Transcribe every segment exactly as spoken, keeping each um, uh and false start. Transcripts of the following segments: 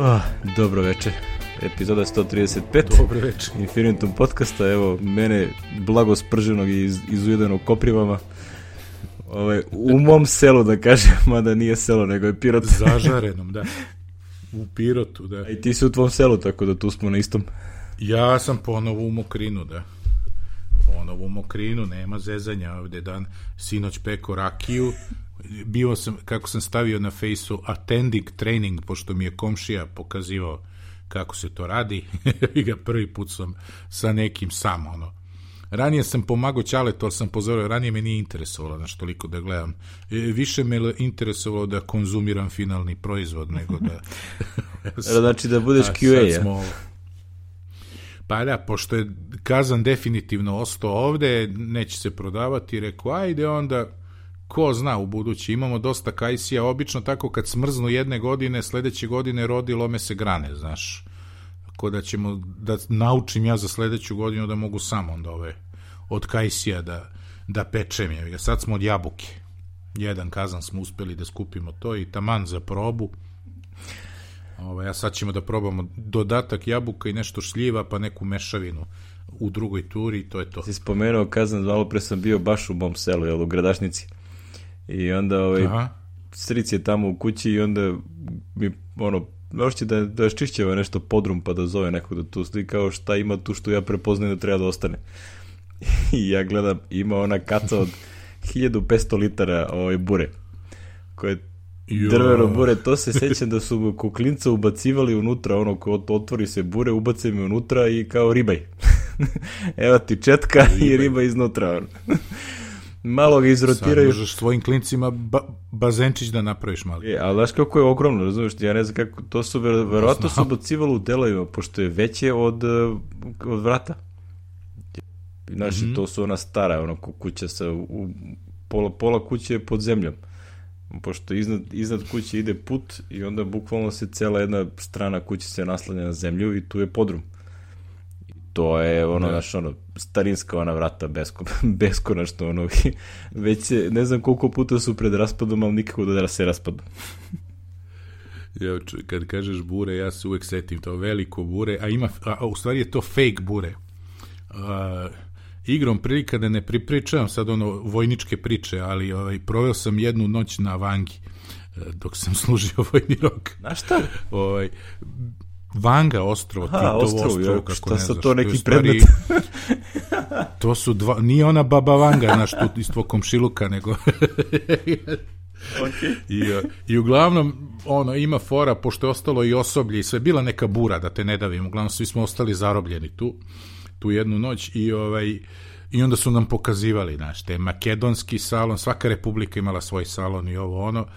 Oh, dobro večer, epizoda sto trideset pet Dobro večer Infinitum podcasta, evo mene blago sprženog i iz, izujedenog Koprivama, ovaj, u mom selu da kažem, mada nije selo nego je Pirot. Zažarenom, da, u Pirotu, da. A i ti si u tvom selu, tako da tu smo na istom. Ja sam ponovo u Mokrinu, da. Ponovo u Mokrinu, nema zezanja ovde dan, sinoć peko rakiju. Bio sam, kako sam stavio na fejsu, attending training, pošto mi je komšija pokazivao kako se to radi. I ga prvi put sam sa nekim sam, ono. Ranije sam pomagao Ćaletu, ali sam pozorio, ranije me nije interesovalo, znaš, toliko da gledam. E, više me interesovalo da konzumiram finalni proizvod, nego da... Znači da budeš Q A, ja? Smo... Pa da, pošto je Kazan definitivno ostao ovde, neće se prodavati, rekao, ajde onda... Ko zna u budući, imamo dosta kajsija, obično tako kad smrznu jedne godine, sledeće godine rodi, lome se grane, znaš. Tako da ćemo, da naučim ja za sledeću godinu da mogu sam onda ove, od kajsija da, da pečem je. Sad smo od jabuke. Jedan kazan smo uspeli da skupimo to i taman za probu. Ove, a sad ćemo da probamo dodatak jabuka i nešto šljiva, pa neku mešavinu u drugoj turi i to je to. Si spomenuo kazan, malo pre sam bio baš u mom selu, jel, u Gradašnici. I onda ovaj, stric je tamo u kući i onda mi, ono, možete da, da ščišćeva nešto podrum pa da zove nekog da tu stoji, kao šta ima tu što ja prepoznajem da treba da ostane. I ja gledam, ima ona kaca od hiljadu petsto litara ovaj, bure, koje drveno bure, to se sećam da su kuklinca ubacivali unutra, ono, ko otvori se bure, ubace mi unutra i kao ribaj. Evo ti četka ribaj. I riba iznutra, ono. Malo ga izrotiraju. Sad možeš svojim klincima ba bazenčić da napraviš malo. E, ali znaš kako je ogromno, razumiješ, ja ne znam kako, to su ver, verovatno su ubacivalo u delovima, pošto je veće od, od vrata. Znaš, mm -hmm. To su ona stara, ono, kuća sa, u, pola, pola kuće je pod zemljom, pošto iznad, iznad kuće ide put i onda bukvalno se cela jedna strana kuće se naslanja na zemlju i tu je podrum. To je ono, da. Naš, ono, starinska ona vrata, besko, beskonačno, ono, već se, ne znam koliko puta su pred raspadom, ali nikako da se raspadu. Ja, kad kažeš bure, ja se uvek setim to veliko bure, a ima, a, u stvari je to fake bure. A, igrom prilika da ne pripričavam sad ono vojničke priče, ali ovaj, proveo sam jednu noć na Vangi, dok sam služio vojni rok. Na šta? Ovaj, Vanga ostrvo, Aha, Titovo ostrvo, ostrvo, jo, kako šta ne sa znaš. to neki to stvari, predmet? To su dva, nije ona baba Vanga, znaš, tu iz tvoj komšiluka, nego... Okay. I, I uglavnom, ono, ima fora, pošto je ostalo i osoblje i sve, bila neka bura, da te ne davim, uglavnom svi smo ostali zarobljeni tu, tu jednu noć i ovaj... I onda su nam pokazivali, znaš, te makedonski salon, svaka republika imala svoj salon i ovo ono,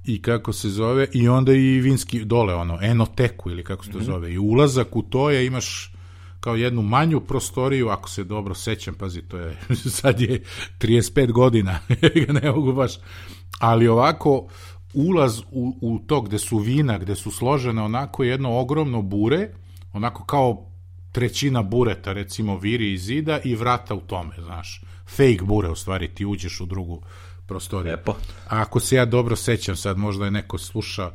i kako se zove, i onda i vinski dole, ono, enoteku ili kako se to zove, i ulazak u to je, imaš kao jednu manju prostoriju, ako se dobro sećam, pazi, to je, sad je trideset pet godina, ne mogu baš, ali ovako, ulaz u, u to gde su vina, gde su složene onako jedno ogromno bure, onako kao trećina bureta, recimo, viri iz zida i vrata u tome, znaš, fake bure, u stvari, ti uđeš u drugu prostoriju. Lepo. A ako se ja dobro sećam, sad možda je neko sluša,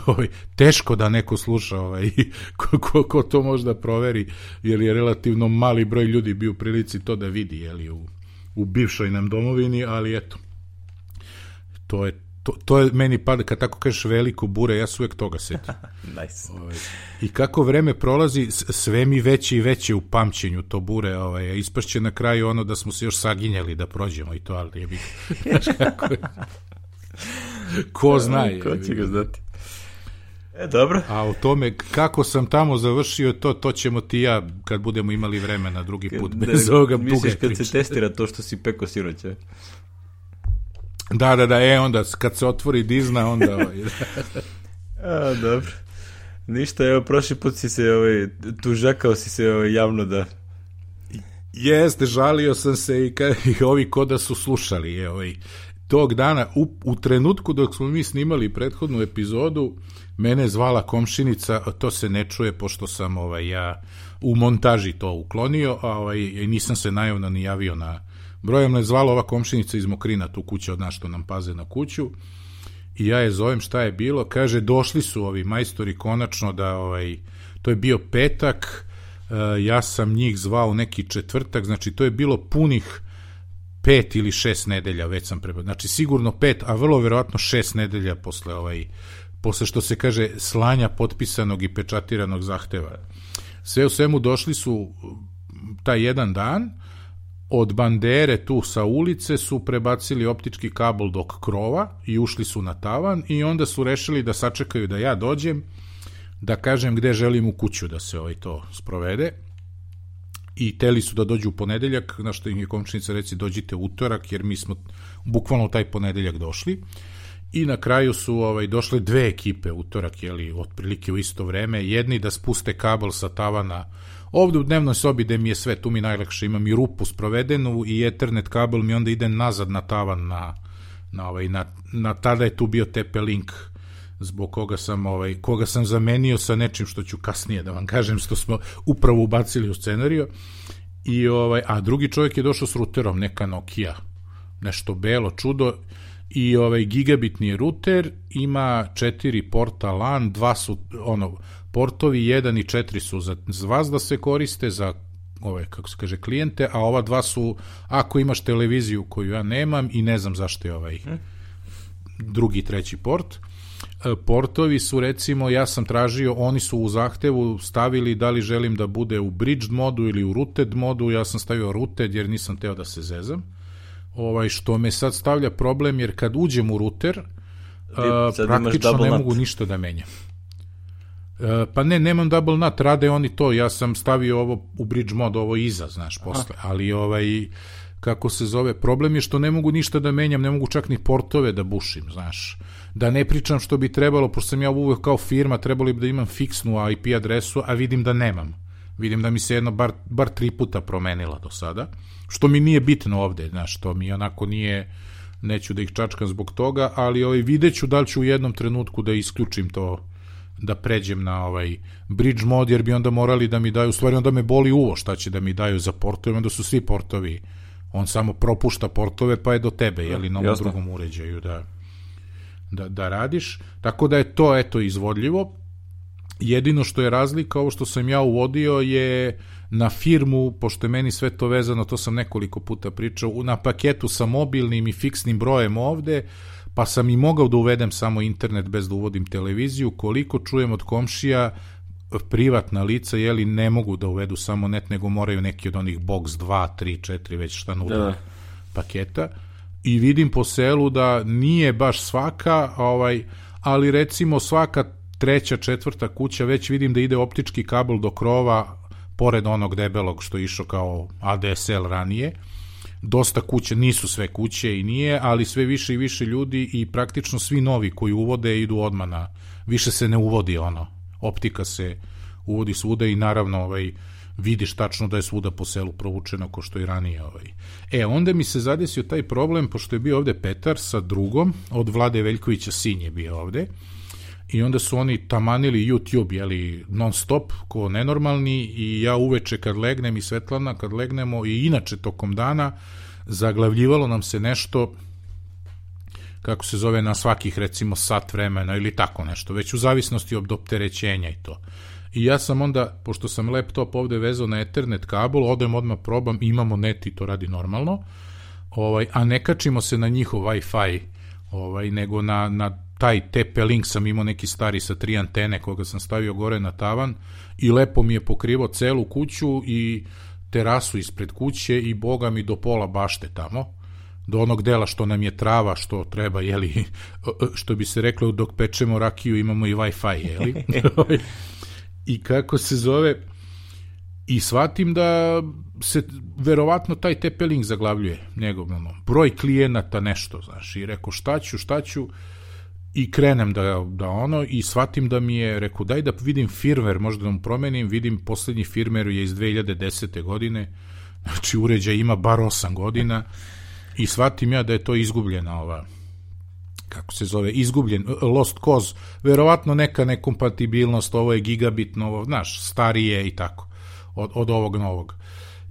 ovaj, teško da neko sluša, ovaj, ko, ko, ko to možda proveri, jer je relativno mali broj ljudi bio u prilici to da vidi, jeli, u, u bivšoj nam domovini, ali eto, to je To, to je meni pada, kad tako kažeš veliko bure, ja se uvek toga setim. Nice. Ovaj, I kako vreme prolazi, sve mi veće i veće u pamćenju to bure, ovaj, ispašće na kraju ono da smo se još saginjali da prođemo i to, ali je bih... Ko zna je. Ko će ga znati. E, dobro. A o tome kako sam tamo završio, to, to ćemo ti ja, kad budemo imali vremena drugi put, bez da, ovoga buga. Misliš kad priča. se testira to što si peko sinoć, je? Da, da, da, e, onda kad se otvori Disney, onda... Ovaj, A, dobro. Ništa, evo, prošli put si se, ovaj, tužakao si se ovaj, javno da... Jeste, žalio sam se i, ka, i ovi koda su slušali, je, ovaj, tog dana, u, u trenutku dok smo mi snimali prethodnu epizodu, mene je zvala komšinica, to se ne čuje, pošto sam, ovaj, ja u montaži to uklonio, a ovaj, nisam se najavno ni javio na... Brojem me zvala ova komšinica iz Mokrina, tu kuća od nas što nam paze na kuću, i ja je zovem šta je bilo, kaže došli su ovi majstori konačno da, ovaj, to je bio petak, uh, ja sam njih zvao neki četvrtak, znači to je bilo punih pet ili šest nedelja, već sam prebrao, znači sigurno pet, a vrlo verovatno šest nedelja posle ovaj, posle što se kaže slanja potpisanog i pečatiranog zahteva. Sve u svemu došli su taj jedan dan, od bandere tu sa ulice su prebacili optički kabel do krova i ušli su na tavan i onda su rešili da sačekaju da ja dođem, da kažem gde želim u kuću da se ovaj to sprovede. I teli su da dođu u ponedeljak, na što im je komšinica reci dođite utorak, jer mi smo bukvalno taj ponedeljak došli. I na kraju su ovaj, došle dve ekipe utorak, jeli, otprilike u isto vreme. Jedni da spuste kabel sa tavana ovde u dnevnoj sobi gde mi je sve, tu mi najlakše, imam i rupu sprovedenu i ethernet kabel mi onda ide nazad na tavan, na, na, ovaj, na, na tada je tu bio T P-Link, zbog koga sam, ovaj, koga sam zamenio sa nečim što ću kasnije da vam kažem, što smo upravo ubacili u scenariju. I, ovaj, a drugi čovjek je došao s ruterom, neka Nokia, nešto belo čudo, i ovaj gigabitni ruter, ima četiri porta LAN, dva su ono portovi, jedan i četiri su za, za vas da se koriste, za ove, kako se kaže, klijente, a ova dva su ako imaš televiziju koju ja nemam i ne znam zašto je ovaj drugi, treći port. Portovi su, recimo, ja sam tražio, oni su u zahtevu stavili da li želim da bude u bridged modu ili u rooted modu, ja sam stavio rooted jer nisam teo da se zezam. Ovaj, što me sad stavlja problem, jer kad uđem u ruter, uh, praktično ne mogu ništa da menjam. Uh, pa ne, nemam double nut, rade oni to, ja sam stavio ovo u bridge mod, ovo iza, znaš, posle, aha, ali ovaj, kako se zove, problem je što ne mogu ništa da menjam, ne mogu čak ni portove da bušim, znaš, da ne pričam što bi trebalo, pošto sam ja uvek kao firma, trebalo bi da imam fiksnu I P adresu, a vidim da nemam. Vidim da mi se jedno bar, bar tri puta promenila do sada, što mi nije bitno ovde, znaš, što mi onako nije, neću da ih čačkam zbog toga, ali ovaj, vidjet ću da li ću u jednom trenutku da isključim to, da pređem na ovaj bridge mod, jer bi onda morali da mi daju, u stvari onda me boli uvo šta će da mi daju za portove, onda su svi portovi, on samo propušta portove pa je do tebe, jeli, na ovom drugom uređaju da, da, da radiš, tako da je to, eto, izvodljivo. Jedino što je razlika, ovo što sam ja uvodio je na firmu, pošto je meni sve to vezano, to sam nekoliko puta pričao, na paketu sa mobilnim i fiksnim brojem ovde, pa sam i mogao da uvedem samo internet bez da uvodim televiziju. Koliko čujem od komšija, privatna lica, jeli, ne mogu da uvedu samo net, nego moraju neki od onih box dva, tri, četiri, već šta nude da. paketa. I vidim po selu da nije baš svaka, ovaj, ali recimo svaka treća, četvrta kuća, već vidim da ide optički kabel do krova, pored onog debelog što je išao kao A D S L ranije. Dosta kuće, nisu sve kuće i nije, ali sve više i više ljudi i praktično svi novi koji uvode idu odmah na, više se ne uvodi ono, optika se uvodi svuda i naravno ovaj, vidiš tačno da je svuda po selu provučeno ko što i ranije. Ovaj. E, onda mi se zadesio taj problem, pošto je bio ovde Petar sa drugom, od Vlade Veljkovića sin je bio ovde, i onda su oni tamanili YouTube, jeli, non stop, ko nenormalni, i ja uveče kad legnem i Svetlana kad legnemo i inače tokom dana zaglavljivalo nam se nešto, kako se zove, na svakih recimo sat vremena ili tako nešto, već u zavisnosti od opterećenja i to. I ja sam onda, pošto sam laptop ovde vezao na Ethernet kabel, odem odmah probam, imamo net i to radi normalno, ovaj, a ne kačimo se na njihov Wi-Fi, ovaj, nego na, na taj T P-Link sam imao neki stari sa tri antene koga sam stavio gore na tavan i lepo mi je pokrivao celu kuću i terasu ispred kuće i boga mi do pola bašte tamo, do onog dela što nam je trava, što treba, jeli, što bi se reklo dok pečemo rakiju imamo i Wi-Fi, jeli. I kako se zove, i shvatim da se verovatno taj T P-Link zaglavljuje njegov, ono, broj klijenata, nešto, znaš, i rekao šta ću, šta ću, i krenem da, da ono, i shvatim da mi je, rekao, daj da vidim firmware, možda da mu promenim, vidim poslednji firmware je iz dve hiljade desete. godine, znači uređaj ima bar osam godina, i shvatim ja da je to izgubljena ova, kako se zove, izgubljen, lost cause, verovatno neka nekompatibilnost, ovo je gigabitno, ovo, znaš, starije i tako, od, od ovog novog.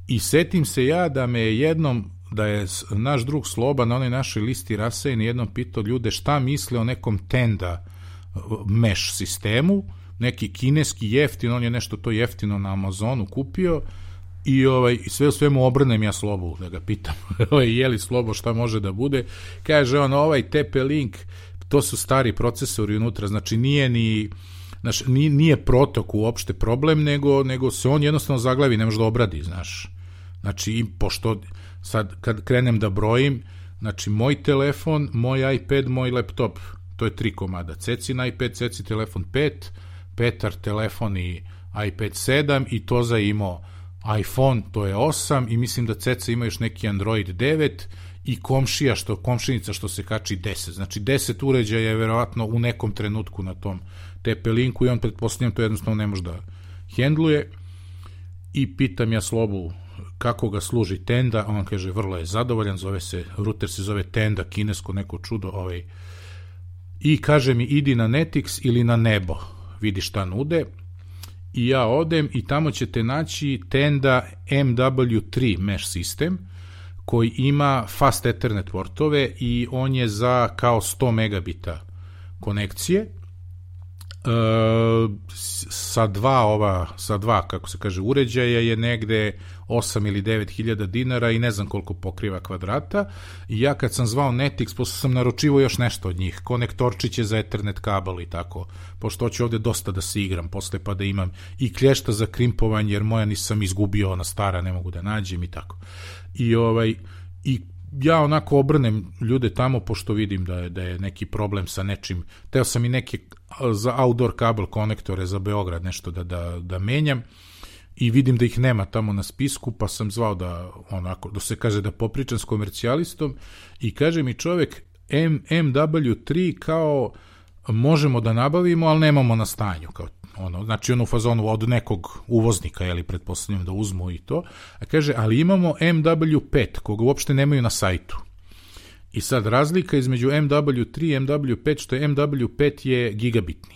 I setim se ja da me jednom da je naš drug Sloba na onoj našoj listi rasejeni jednom pitao ljude šta misle o nekom Tenda mesh sistemu, neki kineski jeftin, on je nešto to jeftino na Amazonu kupio i ovaj, sve u svemu obrnem ja Slobu da ga pitam je li Slobo šta može da bude, kaže on ovaj T P-Link, to su stari procesori unutra, znači nije ni znaš, nije protok uopšte problem, nego, nego se on jednostavno zaglavi, ne može da obradi, znaš. Znači, pošto sad kad krenem da brojim, znači moj telefon, moj iPad, moj laptop, to je tri komada, Cecin iPad, Ceci telefon pet, Petar telefon i iPad sedam i Toza imao iPhone, to je osam i mislim da Ceca ima još neki Android devet i komšija, što, komšinica što se kači deset, znači deset uređaja je verovatno u nekom trenutku na tom T P-Linku i on pretpostavljam to jednostavno ne može da hendluje i pitam ja Slobu kako ga služi Tenda, on kaže vrlo je zadovoljan, zove se, router se zove Tenda, kinesko neko čudo, ovaj, i kaže mi idi na Netix ili na Nebo, vidi šta nude i ja odem i tamo ćete naći Tenda M W tri mesh sistem koji ima fast ethernet portove i on je za kao sto megabita konekcije. Uh, sa dva ova, sa dva, kako se kaže, uređaja je negde osam ili devet hiljada dinara i ne znam koliko pokriva kvadrata i ja kad sam zvao Netix, pošto sam naručivo još nešto od njih, konektorčiće za Ethernet kabel i tako, pošto hoću ovde dosta da se igram posle pa da imam i klješta za krimpovanje jer moja nisam izgubio, ona stara, ne mogu da nađem i tako. I ovaj, i ja onako obrnem ljude tamo pošto vidim da je, da je neki problem sa nečim, teo sam i neke za outdoor kabel konektore za Beograd nešto da, da, da menjam i vidim da ih nema tamo na spisku, pa sam zvao da onako, da se kaže da popričam s komercijalistom i kaže mi čovek M, M W tri kao možemo da nabavimo, ali nemamo na stanju, kao ono, znači ono u fazonu od nekog uvoznika, jeli, pretpostavljam da uzmu i to, a kaže, ali imamo M W pet, koga uopšte nemaju na sajtu. I sad razlika između M W tri i M W pet, što je M W pet je gigabitni.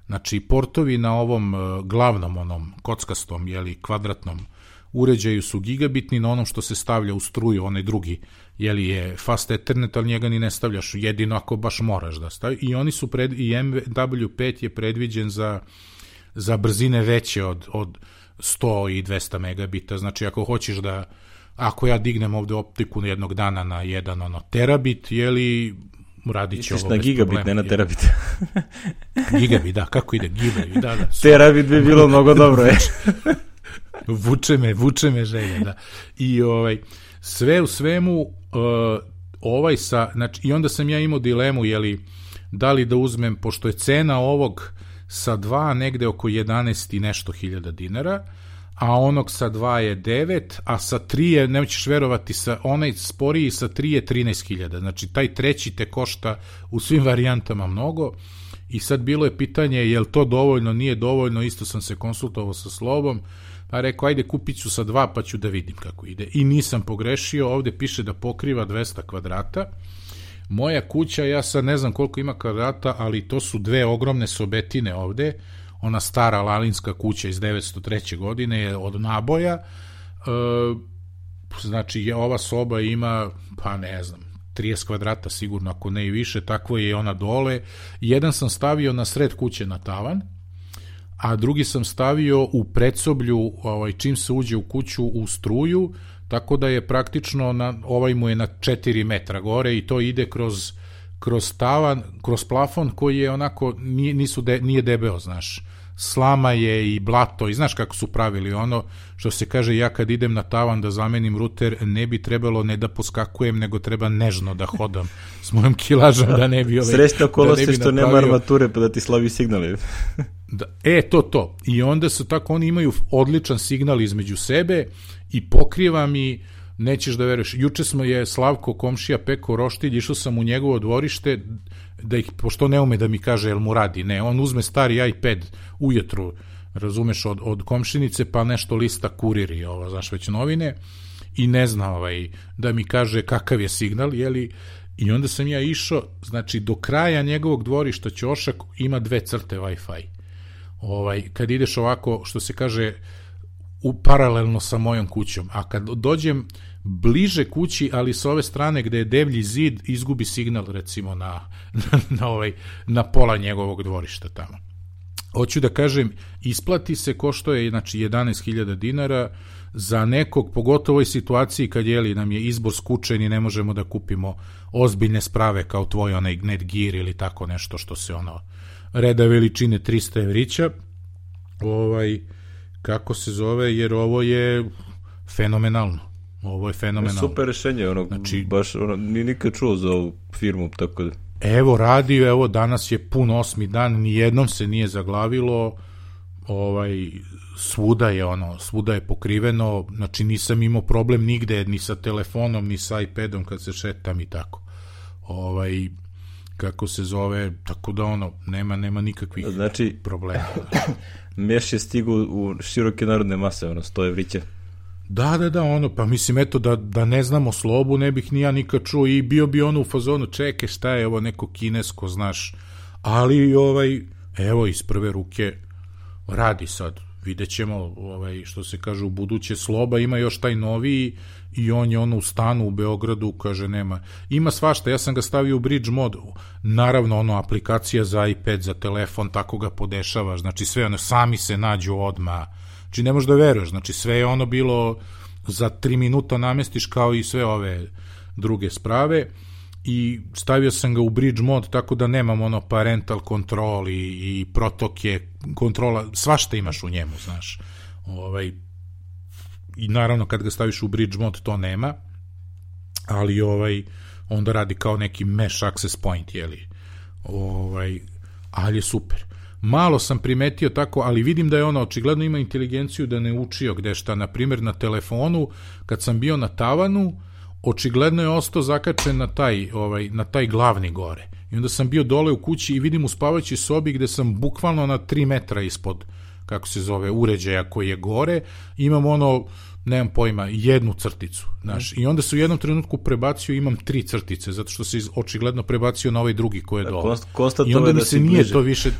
Znači, portovi na ovom glavnom, onom kockastom, jeli, kvadratnom uređaju su gigabitni, na onom što se stavlja u struju, onaj drugi, jeli, je fast ethernet, ali njega ni ne stavljaš, jedino ako baš moraš da stavi. I oni su pred, i M W pet je predviđen za, za brzine veće od, od sto i dvesta megabita, znači ako hoćeš da, ako ja dignem ovde optiku jednog dana na jedan ono terabit, jeli, radit će ovo bez problema. Misliš na gigabit, ne na terabit. Gigabit, da, kako ide, gigabit, da, da. Terabit bi bilo mnogo dobro, je. vuče me, vuče me želje, da. I ovaj, sve u svemu, uh, ovaj sa, znači, i onda sam ja imao dilemu, jeli, da li da uzmem, pošto je cena ovog sa dva negde oko jedanaest i nešto hiljada dinara, a onog sa dva je devet, a sa tri je, nećeš verovati, sa, onaj sporiji sa tri je trinaest hiljada, znači taj treći te košta u svim varijantama mnogo i sad bilo je pitanje je li to dovoljno, nije dovoljno, isto sam se konsultovao sa Slobom, pa rekao ajde kupit ću sa dva pa ću da vidim kako ide i nisam pogrešio, ovde piše da pokriva dvesta kvadrata, moja kuća, ja sad ne znam koliko ima kvadrata, ali to su dve ogromne sobetine ovde, ona stara lalinska kuća iz devetsto treće. godine je od naboja, e, znači ova soba ima, pa ne znam, trideset kvadrata sigurno, ako ne i više, takvo je ona dole. Jedan sam stavio na sred kuće na tavan, a drugi sam stavio u predsoblju, ovaj, čim se uđe u kuću u struju, tako da je praktično, na, ovaj mu je na četiri metra gore i to ide kroz kroz tavan, kroz plafon koji je onako, nije, nisu de, nije debeo, znaš, slama je i blato i znaš kako su pravili ono, što se kaže ja kad idem na tavan da zamenim ruter, ne bi trebalo ne da poskakujem, nego treba nežno da hodam s mojom kilažom da ne bi ove... Srećno okolosti da što napravio... nema armature pa da ti slabi signali. Da, e, to, to. I onda su tako, oni imaju odličan signal između sebe i pokriva mi, nećeš da veruješ, juče smo je Slavko komšija pekao roštilj, išao sam u njegovo dvorište, da ih, pošto ne ume da mi kaže jel mu radi, ne, on uzme stari iPad ujutru, razumeš, od, od komšinice, pa nešto lista kuriri, ovo, znaš, već novine, i ne zna ovaj, da mi kaže kakav je signal, jeli, i onda sam ja išao, znači, do kraja njegovog dvorišta ćošak ima dve crte Wi-Fi. Ovaj, kad ideš ovako, što se kaže, u paralelno sa mojom kućom, a kad dođem bliže kući, ali s ove strane gde je devlji zid, izgubi signal recimo na, na, na, ovaj, na pola njegovog dvorišta tamo. Hoću da kažem, isplati se, košto je znači jedanaest hiljada dinara za nekog, pogotovo u ovoj situaciji kad jeli, nam je izbor skučen i ne možemo da kupimo ozbiljne sprave kao tvoj onaj Netgear ili tako nešto što se ono reda veličine trista evrića, ovaj, kako se zove, jer ovo je fenomenalno. Ovo je fenomenalno. Super rešenje, ono, znači, baš, ono, ni nikad čuo za ovu firmu, tako da... Evo, radi, evo, danas je pun osmi dan, nijednom se nije zaglavilo, ovaj, svuda je, ono, svuda je pokriveno, znači nisam imao problem nigde, ni sa telefonom, ni sa iPadom kad se šetam i tako. Ovaj, kako se zove, tako da, ono, nema, nema nikakvih znači, problema. Meš je stigu u široke narodne mase, ono, sto evrića. Da, da, da, ono, pa mislim, eto, da, da ne znamo slobu, ne bih ni ja nikad čuo i bio bi ono u fazonu, čeke, šta je ovo neko kinesko, znaš, ali, ovaj, evo, iz prve ruke radi sad, vidjet ćemo, ovaj, što se kaže, u buduće sloba, ima još taj noviji i on je ono u stanu u Beogradu, kaže, nema, ima svašta, ja sam ga stavio u bridge mod, naravno, ono, aplikacija za iPad, za telefon, tako ga podešavaš, znači, sve ono, sami se nađu odmah. Znači, ne možeš da veruješ, znači sve je ono bilo za tri minuta namestiš kao i sve ove druge sprave i stavio sam ga u bridge mod tako da nemam ono parental control i, i protoke, kontrola, svašta imaš u njemu, znaš. Ovaj, i naravno kad ga staviš u bridge mod to nema, ali ovaj, onda radi kao neki mesh access point, jeli. Ovaj, ali je super. Malo sam primetio tako, ali vidim da je ono, očigledno ima inteligenciju da ne učio gde šta, na primjer na telefonu, kad sam bio na tavanu, očigledno je ostao zakačen na taj, ovaj, na taj glavni gore. I onda sam bio dole u kući i vidim u spavajućoj sobi gde sam bukvalno na tri metra ispod, kako se zove, uređaja koji je gore, imam ono, nemam pojma, jednu crticu, znaš, i onda se u jednom trenutku prebacio, imam tri crtice, zato što se očigledno prebacio na ovaj drugi koji je dole. I onda mi se nije to više...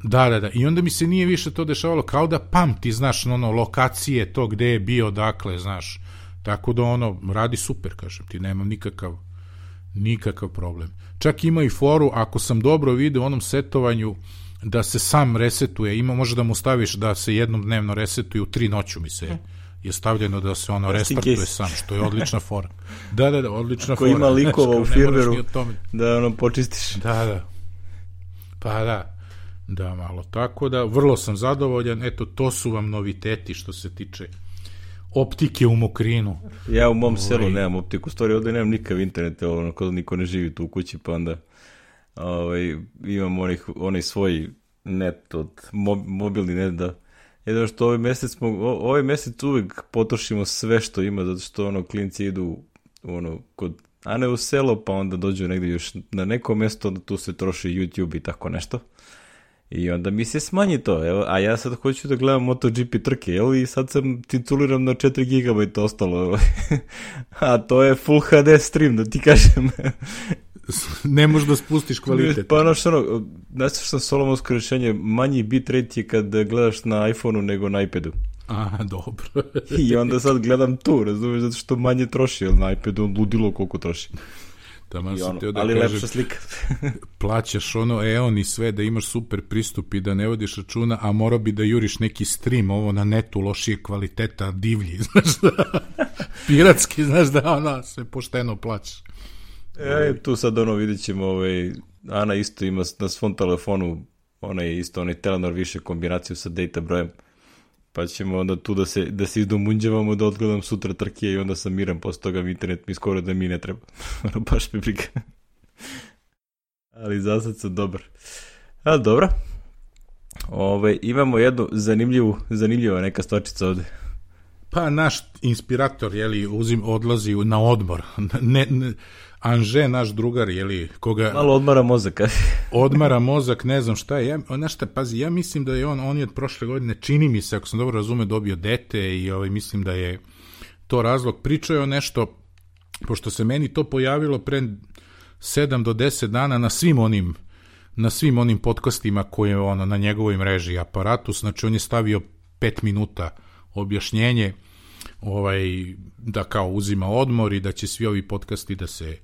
Da, da, da. I onda mi se nije više to dešavalo, kao da pamti, znaš, ono, lokacije, to gde je bio, dakle, znaš. Tako da, ono, radi super, kažem ti, nemam nikakav, nikakav problem. Čak ima i foru, ako sam dobro vidio u onom setovanju, da se sam resetuje, ima, može da mu staviš da se jednom dnevno resetuje, u tri noću mi se je stavljeno da se ono restartuje sam, što je odlična fora. Da, da, da, odlična fora. Ko ima likova u firmeru, da ono počistiš. Da, da. Pa da. Da, malo tako da, vrlo sam zadovoljan, eto, to su vam noviteti što se tiče optike u Mokrinu. Ja u mom selu nemam optiku, stvari ovdje nemam nikav internet, ono, kada niko ne živi tu u kući, pa onda ovaj, imam onih, onaj svoj net, od mob, mobilni net, da jedno što ovaj mjesec smo, ovaj mjesec uvijek potrošimo sve što ima, zato što ono, klinci idu ono, kod, a ne u selo, pa onda dođu negdje još na neko mjesto, onda tu se troši YouTube i tako nešto. I onda mi se smanji to, evo, a ja sad hoću da gledam MotoGP trke, jel, i sad sam tituliram na četiri gigabajta ostalo, a to je Full H D stream, da ti kažem. Ne možeš da spustiš kvalitet. Pa ono što ono, znaš što sam solomonsko rješenje, manji bitrate je kad gledaš na iPhoneu nego na iPadu. A, dobro. I onda sad gledam tu, razumiješ, zato što manje troši, jer na iPadu on ludilo koliko troši. Taman sam ono, teo da ali kažem, lepša slika. plaćaš ono eon i sve da imaš super pristup i da ne vodiš računa, a morao bi da juriš neki stream ovo na netu lošije kvaliteta, divlji, znaš da, piratski, znaš da ona se pošteno plaćaš. E, tu sad ono vidjet ćemo, ovaj, Ana isto ima na svom telefonu, ona je isto, onaj Telenor više kombinaciju sa data brojem, pa ćemo onda tu da se, da se izdomunđavamo, da odgledam sutra trke i onda sam miran, posle toga internet mi skoro da mi ne treba. Ono, baš mi briga. Ali za sad sam dobar. A, dobro. Ove, imamo jednu zanimljivu, zanimljiva neka stvačica ovde. Pa naš inspirator, jeli, uzim, odlazi na odmor. Ne, ne, Anže, naš drugar, jeli, koga... Malo odmara mozak. odmara mozak, ne znam šta je. Ja, znaš šta, pazi, ja mislim da je on, on je od prošle godine, čini mi se, ako sam dobro razume, dobio dete i ovaj, mislim da je to razlog. Pričao je o nešto, pošto se meni to pojavilo pre sedam do deset dana na svim onim, na svim onim podcastima koje je ono, na njegovoj mreži aparatus, znači on je stavio pet minuta objašnjenje ovaj, da kao uzima odmor i da će svi ovi podcasti da se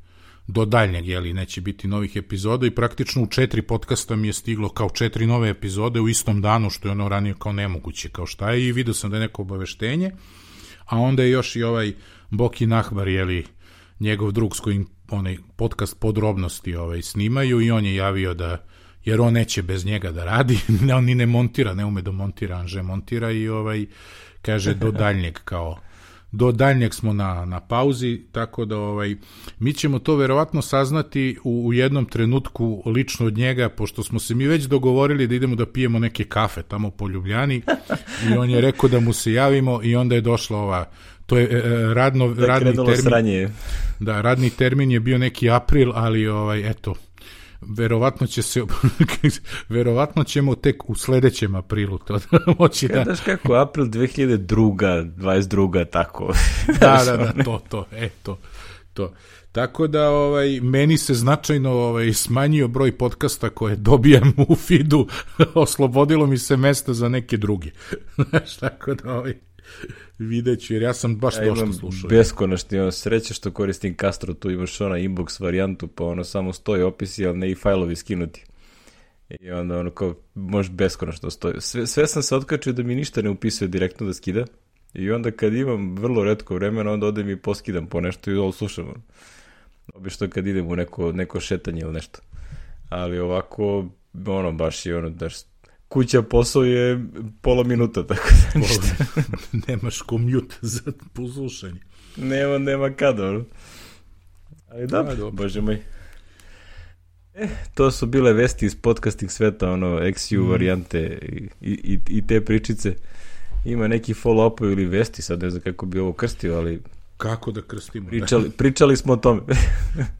do daljnjeg, jeli, neće biti novih epizoda i praktično u četiri podcasta mi je stiglo kao četiri nove epizode u istom danu, što je ono ranije kao nemoguće, kao šta je, i vidio sam da je neko obaveštenje, a onda je još i ovaj Boki Nahbar, jeli, njegov drug s kojim onaj podcast podrobnosti ovaj, snimaju i on je javio da, jer on neće bez njega da radi, on ni ne montira, ne ume da montira, Anže montira i ovaj, kaže do daljnjeg kao, do daljnjeg smo na, na pauzi, tako da ovaj, mi ćemo to verovatno saznati u, u jednom trenutku lično od njega, pošto smo se mi već dogovorili da idemo da pijemo neke kafe tamo po Ljubljani i on je rekao da mu se javimo i onda je došla ova, to je e, radno, da radni termin. Sranje. Da, radni termin je bio neki april, ali ovaj, eto, verovatno će se verovatno ćemo tek u sledećem aprilu to da moći da... Znaš kako, april dve hiljade dvadeset druga tako. Da, da, da, to, to, eto, to. Tako da, ovaj, meni se značajno ovaj, smanjio broj podcasta koje dobijam u feedu, oslobodilo mi se mesta za neke druge. Znaš, tako da, ovaj, vidjet ću, jer ja sam baš ja došto slušao. Beskonačni, ono, sreće što koristim Castro, tu imaš ona inbox varijantu, pa ono samo stoji opisi, ali ne i fajlovi skinuti. I onda ono kao, može beskonačno stoji. Sve, sve sam se otkačio da mi ništa ne upisuje direktno da skida. I onda kad imam vrlo retko vremena, onda odem i poskidam po nešto i ovo slušam. Obično kad idem u neko, neko šetanje ili nešto. Ali ovako, ono, baš je ono, daš, kuća posao je pola minuta, tako da ništa. Nemaš komjut za poslušanje. Nema, nema kada, ono. Ali da, da bože moj. E, to su bile vesti iz podcasting sveta, ono, X U mm. varijante i, i, i te pričice. Ima neki follow-up ili vesti, sad ne znam kako bi ovo krstio, ali... Kako da krstimo? Pričali, pričali smo o tome.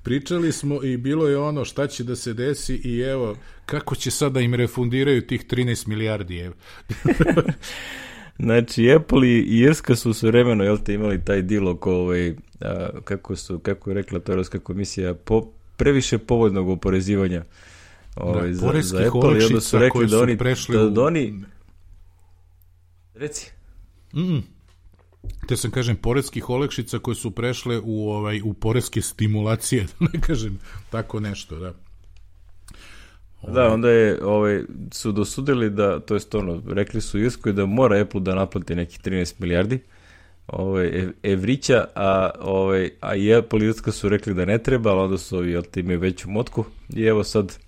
Pričali smo i bilo je ono šta će da se desi i evo, kako će sad da im refundiraju tih trinaest milijardi, evo. Znači, Apple i Irska su sve vremeno, jel te, imali taj deal oko, ovaj, a, kako, su, kako je rekla to Europska komisija, po, previše povoljnog oporezivanja ovaj, da, za, za Apple, i onda su rekli da oni... Da, da oni... Reci. Mm. Te sam kažem, poreskih olakšica koje su prešle u, ovaj, u poreske stimulacije, da ne kažem tako nešto, da. Da, onda je, ovaj, su dosudili da, to jest ono, rekli su Irskoj da mora Apple da naplati nekih trinaest milijardi ovaj, evrića, a, ovaj, a i Apple i Irska su rekli da ne treba, ali onda su ovi, jel te, imaju veću motku i evo sad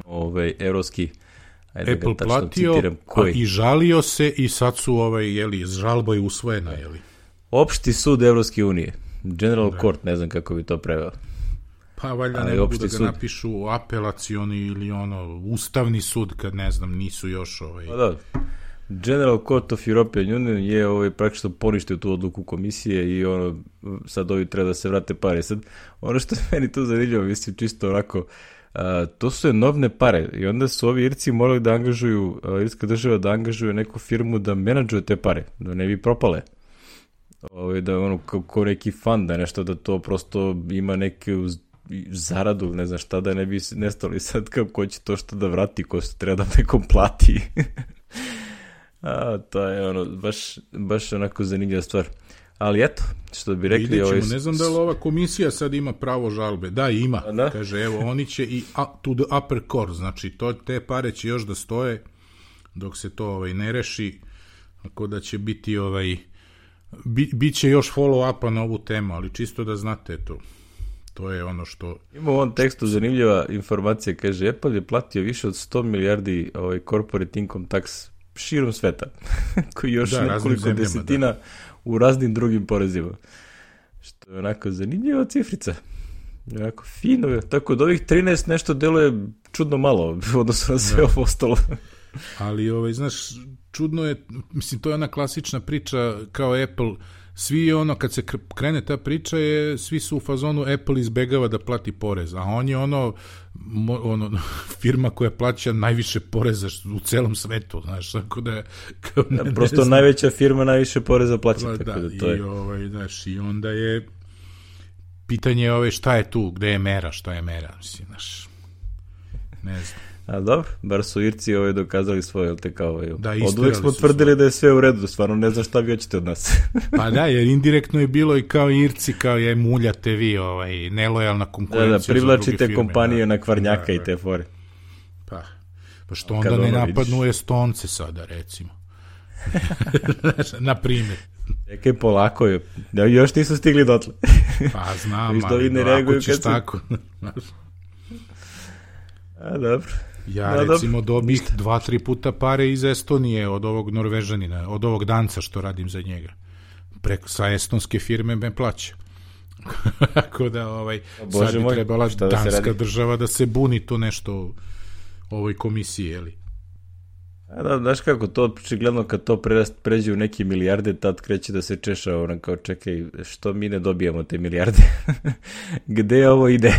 ovaj, evropski Ajde Apple platio a i žalio se i sad su ovaj, jeli, žalba je usvojena, jeli. Opšti sud Evropske unije, General da. Court, ne znam kako bi to preveo. Pa valjda ne mogu da ga sud. Napišu apelacioni ili ono, ustavni sud, kad ne znam, nisu još ovaj... Pa da, General Court of European Union je ovaj, praktično poništio tu odluku komisije i ono, sad ovi treba da se vrate pare. Sad, ono što je meni tu zanimljivo, mislim, čisto onako... Uh, to su enormne pare i onda su ovi Irci morali da angažuju, uh, irska država da angažuje neku firmu da menadžuje te pare, da ne bi propale. Ove, da ono, kao neki fund, da nešto, da to prosto ima neku zaradu, ne znam šta, da ne bi nestali sad kao ko će to što da vrati, ko se treba da nekom plati. A, to je ono, baš, baš onako zanimljiva stvar. Ali eto, što bi rekli... Ovaj... Ne znam da li ova komisija sad ima pravo žalbe. Da, ima. Da? Kaže, evo, oni će i to the upper core, znači to, te pare će još da stoje dok se to ovaj, ne reši, tako da će biti ovaj... Bi, bit će još follow-upa na ovu temu, ali čisto da znate to. To je ono što... Ima u ovom tekstu zanimljiva informacija, kaže, Apple je platio više od sto milijardi ovaj, corporate income tax širom sveta, koji još da, nekoliko zemljama, desetina... Da. U raznim drugim porezima. Što je onako zanimljiva cifrica. Onako fino. Tako da ovih trinaest nešto deluje čudno malo, odnosno na sve ovo ostalo. Ali, ovaj, znaš, čudno je, mislim, to je ona klasična priča kao Apple, svi je ono, kad se krene ta priča, je, svi su u fazonu Apple izbegava da plati porez, a on je ono, ono firma koja plaća najviše poreza u celom svetu, znaš, tako da... Kao ne, ja, prosto ne najveća firma najviše poreza plaća, da, tako da, da to je... I, ovaj, znaš, i onda je pitanje ove, šta je tu, gde je mera, šta je mera, mislim, znaš, ne znam. A dobro, bar su Irci ovaj dokazali svoje, jel te kao ovaj. Da, od uvek smo tvrdili svoje. Da je sve u redu, stvarno ne znam šta vi hoćete od nas. Pa da, jer indirektno je bilo i kao Irci, kao je muljate vi, ovaj, nelojalna konkurencija. Da, da, privlačite kompanije da, na kvarnjaka da, i te fore. Pa, pa što onda ne napadnu vidiš. Estonce sada, recimo. Na primjer. Čekaj, polako je. Još nisu stigli dotle. Pa znam, ali ne ako ćeš tako. A, dobro. Ja A, recimo dobro. dobih dva, tri puta pare iz Estonije od ovog Norvežanina, od ovog Danca što radim za njega. Preko, sa estonske firme me plaća. Tako da, ovaj, Bože sad bi moj, trebala da danska država da se buni to nešto u ovoj komisiji, jeli? A da, znaš kako, to očigledno kad to pređe u neke milijarde, tad kreće da se češa, ono kao čekaj, što mi ne dobijamo te milijarde? Gde ovo ide?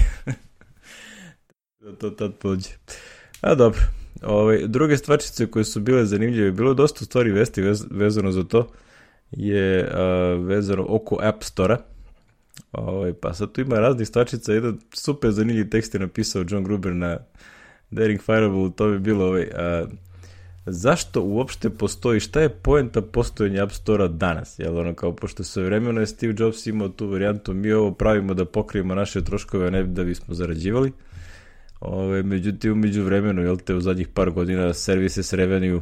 To tad pođe. A dobro, ovaj, druge stvarčice koje su bile zanimljive, bilo je dosta stvari vesti vez, vezano za to, je a, vezano oko App Store-a. Ovaj, pa sad tu ima raznih stvarčica, jedan super zanimljiv tekst je napisao John Gruber na Daring Fireball, to bi bilo ovaj, a, zašto uopšte postoji, šta je poenta postojanja App Store-a danas? Jel ono kao, pošto sve vremeno je Steve Jobs imao tu varijantu, mi ovo pravimo da pokrijemo naše troškove, a ne da bismo zarađivali. Ove, međutim, umeđu vremenu, jel te, u zadnjih par godina services revenue,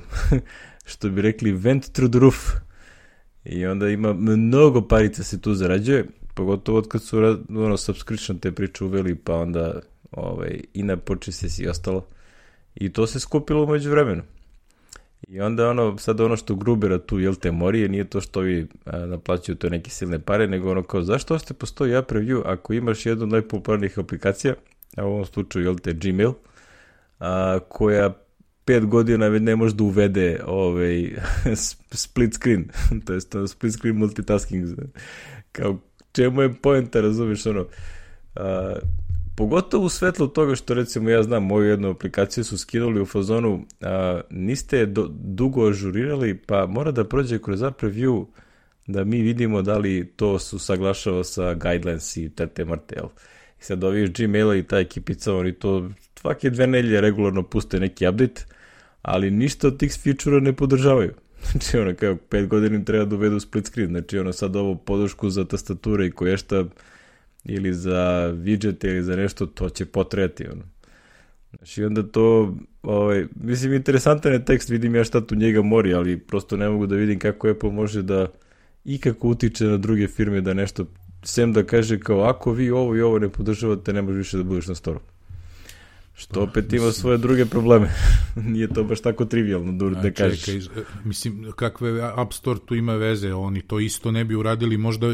što bi rekli, went through the roof. I onda ima mnogo parica se tu zarađuje, pogotovo od kad su ono, subscription te priče uveli, pa onda ovaj, i na purchases i ostalo. I to se skupilo umeđu vremenu. I onda ono, sad ono što Grubera tu, jel te, morije, nije to što vi a, naplaćuju to neke silne pare, nego ono kao, zašto ošte postoji App Review ako imaš jednu od najpopularnijih aplikacija, a u ovom slučaju, jel te, Gmail, a, koja pet godina ne može da uvede ovaj, split screen, to je split screen multitasking, kao čemu je poenta, razumiješ, ono, a, pogotovo u svetlu toga što, recimo, ja znam, moju jednu aplikaciju su skinuli u fazonu, a, niste do, dugo ažurirali, pa mora da prođe kroz App Review da mi vidimo da li to su saglašava sa guidelines i tete mrte, jel? I sad ovi Gmaila i ta ekipica, oni to svake dve nelje regularno puste neki update, ali ništa od tih feature-a ne podržavaju. Znači, ono, kao pet godina im treba da uvedu split screen, znači, ono, sad ovo podršku za tastature i koješta ili za widgete ili za nešto, to će potrejati, ono. Znači, onda to, ovaj, mislim, interesantan je tekst, vidim ja šta tu njega mori, ali prosto ne mogu da vidim kako Apple može da ikako utiče na druge firme da nešto, sem da kaže kao, ako vi ovo i ovo ne podržavate, ne može više da budeš na storu. Što opet ima svoje druge probleme. Nije to baš tako trivialno da, da kažeš. Čekaj, mislim, kakve App Store tu ima veze, oni to isto ne bi uradili, možda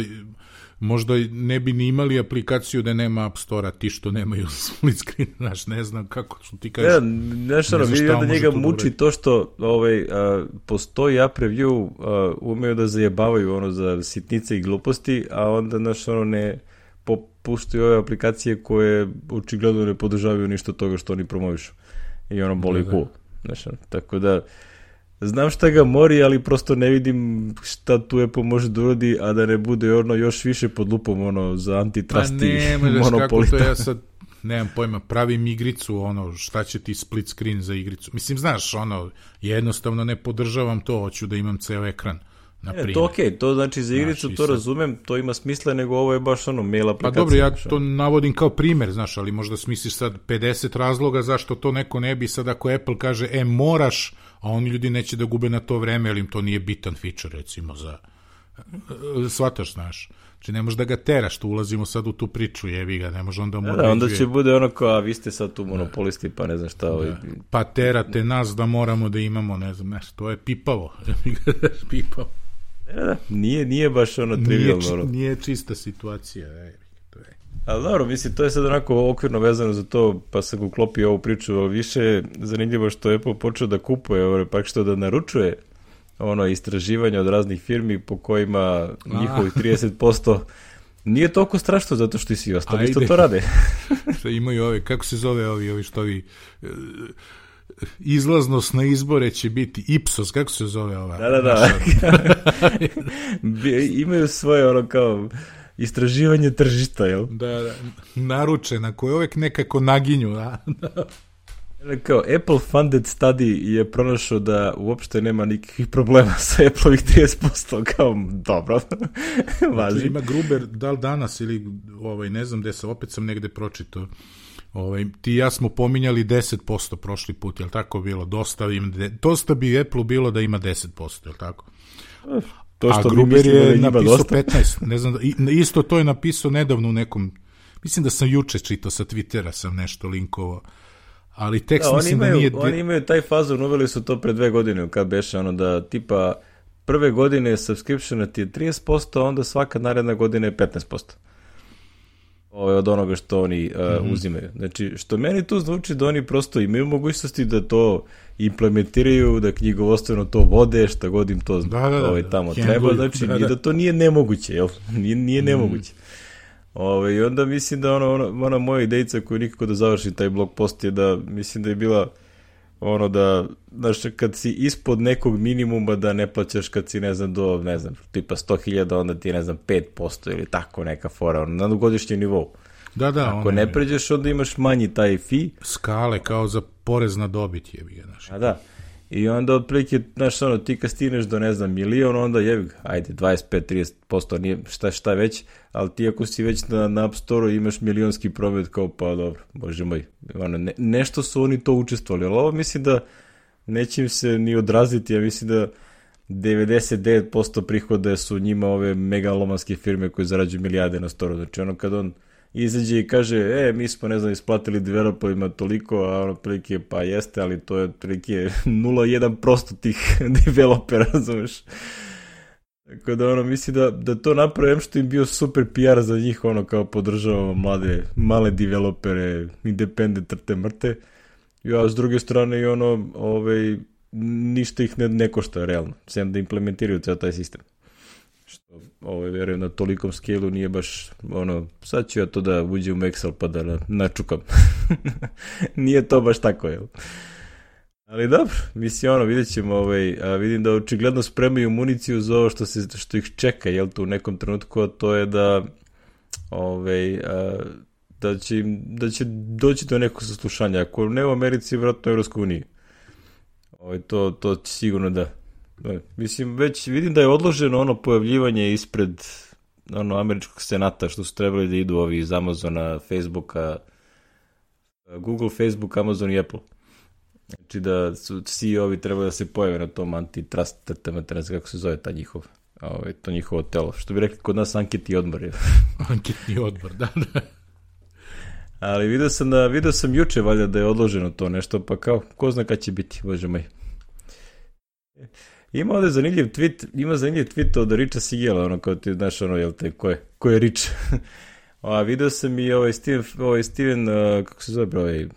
možda ne bi ni imali aplikaciju da nema App Store-a, ti što nemaju split screen, znaš, ne znam kako, što ti kažeš. Ne, nešto, ne vidio da njega muči to što ovaj, a, postoji App Review, a, umeju da zajebavaju ono za sitnice i gluposti, a onda, znaš, ono ne popuštaju ove aplikacije koje očigledno ne podržavaju ništa toga što oni promovišu. I ono boli cool. Znaš, tako da znam šta ga mori, ali prosto ne vidim šta tu Apple može da uradi, a da ne bude ono još više pod lupom ono za antitrust i monopolita. To ja sad nemam pojma, pravim igricu, ono, šta će ti split screen za igricu. Mislim, znaš, ono, jednostavno ne podržavam to, hoću da imam ceo ekran. E, to okej, okay. To znači za igricu, znaš, to sad razumem, to ima smisla, nego ovo je baš ono mail aplikacija. Pa dobro, ja to navodim kao primer, znaš, ali možda smisliš sad pedeset razloga zašto to neko ne bi, sad ako Apple kaže, e, moraš, a oni ljudi neće da gube na to vreme, jer im to nije bitan feature, recimo, za shvataš, znaš. Znači, ne možeš da ga teraš, tu ulazimo sad u tu priču, jevi ga, ne može onda mu da, onda će bude ono kao, a vi ste sad tu monopolisti, pa ne znam šta. Ovaj... Pa terate nas da moramo da imamo, ne znam, nešto, to je pipavo. Pipavo. Da, da, nije, nije baš ono trivialno. Nije, ono. Nije čista situacija. Ej, to je. Ali dobro, mislim, to je sad onako okvirno vezano za to, pa sam uklopio ovu priču, ali više je zanimljivo što je Apple počeo da kupuje, ovo, pak što da naručuje ono istraživanje od raznih firmi po kojima njihovih trideset posto nije toliko strašno zato što i svi ostali isto to rade. Što imaju ove, kako se zove ovi, ovi što ovi... izlaznost na izbore će biti Ipsos, kako se zove ova? Da, da, da. Imaju svoje ono kao istraživanje tržišta, jel? Da, da. Naručena, koje uvek nekako naginju. Da? Kao Apple funded study je pronašao da uopšte nema nikakvih problema sa Apple-ovih trideset posto, kao dobro, važi. Znači, ima Gruber, da li danas ili ovaj, ne znam gde se, opet sam negde pročitao, ovaj, ti i ja smo pominjali deset posto prošli put, je li tako bilo? Dosta, im, dosta bi Apple bilo da ima deset posto, je li tako? To što a Gruber je da napisao dosta. petnaest, ne znam, da, isto to je napisao nedavno u nekom, mislim da sam juče čitao sa Twittera, sam nešto linkovao, ali tekst da, mislim imaju, da nije... Oni imaju taj fazon, uveli su to pre dve godine, kad beše ono da tipa prve godine subscriptiona ti je trideset posto, a onda svaka naredna godina je petnaest posto. Ovo je od onoga što oni uh, mm-hmm. uzimaju. Znači, što meni tu zvuči da oni prosto imaju mogućnosti da to implementiraju, da knjigovostveno to vode, šta god im to da, da, da, ovaj, tamo da, treba, znači da, da. I da to nije nemoguće, jel? Nije, nije nemoguće. Mm. Ove, I onda mislim da ono, ono, ona moja idejica koju nikako da završim taj blog post je da mislim da je bila ono da, znaš, kad si ispod nekog minimuma da ne plaćaš kad si, ne znam, do, ne znam, tipa sto hiljada, onda ti, ne znam, pet posto ili tako neka fora, ono, na godišnjem nivou. Da, da. Ako ne pređeš, onda imaš manji taj fee. Skale, kao za porez na dobit je bi, znaš. A da. I onda otprilike, znaš, ono, ti kad stigneš do, ne znam, milion, onda jebi ga, ajde, dvadeset pet do trideset posto, nije šta šta već, ali ti ako si već na, na App Store-u imaš milionski promet, kao pa dobro, bože moj, ono, ne, nešto su oni to učestvovali, ali ovo mislim da neće im se ni odraziti, ja mislim da devedeset devet posto prihoda su njima ove megalomanske firme koje zarađuju milijarde na Store-u, znači ono kad on izađe i kaže, e, mi smo, ne znam, isplatili developerima toliko, a ono prilike, pa jeste, ali to je prilike nula zarez jedan posto tih developera, razumeš? Tako da, ono, misli da, da to napravim što im bio super P R za njih, ono, kao podržavamo mlade, male developere, independent trte mrte, ja s druge strane i ono, ovaj, ništa ih ne, ne košta, realno, sem da implementiraju ceo taj sistem. Što, ovo je, verujem, na tolikom scale-u nije baš, ono, sad ću ja to da uđem u Excel pa da načukam. Nije to baš tako, jel? Ali dobro, mislim, ono, vidjet ćemo, ovaj, a vidim da očigledno spremaju municiju za ovo što, se, što ih čeka, jel, tu u nekom trenutku, a to je da, ovaj, a, da, će, im, da će doći do nekog saslušanja. Ako ne u Americi, vjerojatno u Evropskoj uniji. Ovaj, to, to sigurno da. Mislim, već vidim da je odloženo ono pojavljivanje ispred ono američkog senata što su trebali da idu ovi iz Amazona, Facebooka, Google, Facebook, Amazon i Apple. Znači da su C E O-vi trebali da se pojave na tom antitrust, ne znam kako se zove ta njihov, ovaj, to njihovo telo. Što bi rekli kod nas anketni odbor. Je. Anketni odbor, da, da. Ali vidio sam, da, vidio sam juče valjda da je odloženo to nešto, pa kao, ko zna kad će biti, bože moj. Ima ovdje zanimljiv tweet, ima zanimljiv tweet od Richa Sigela, ono kao ti znaš ono, jel te, ko je, ko je Rich? A vidio sam i ovaj Steven, ovaj Steven uh, kako se zove, ovaj, uh,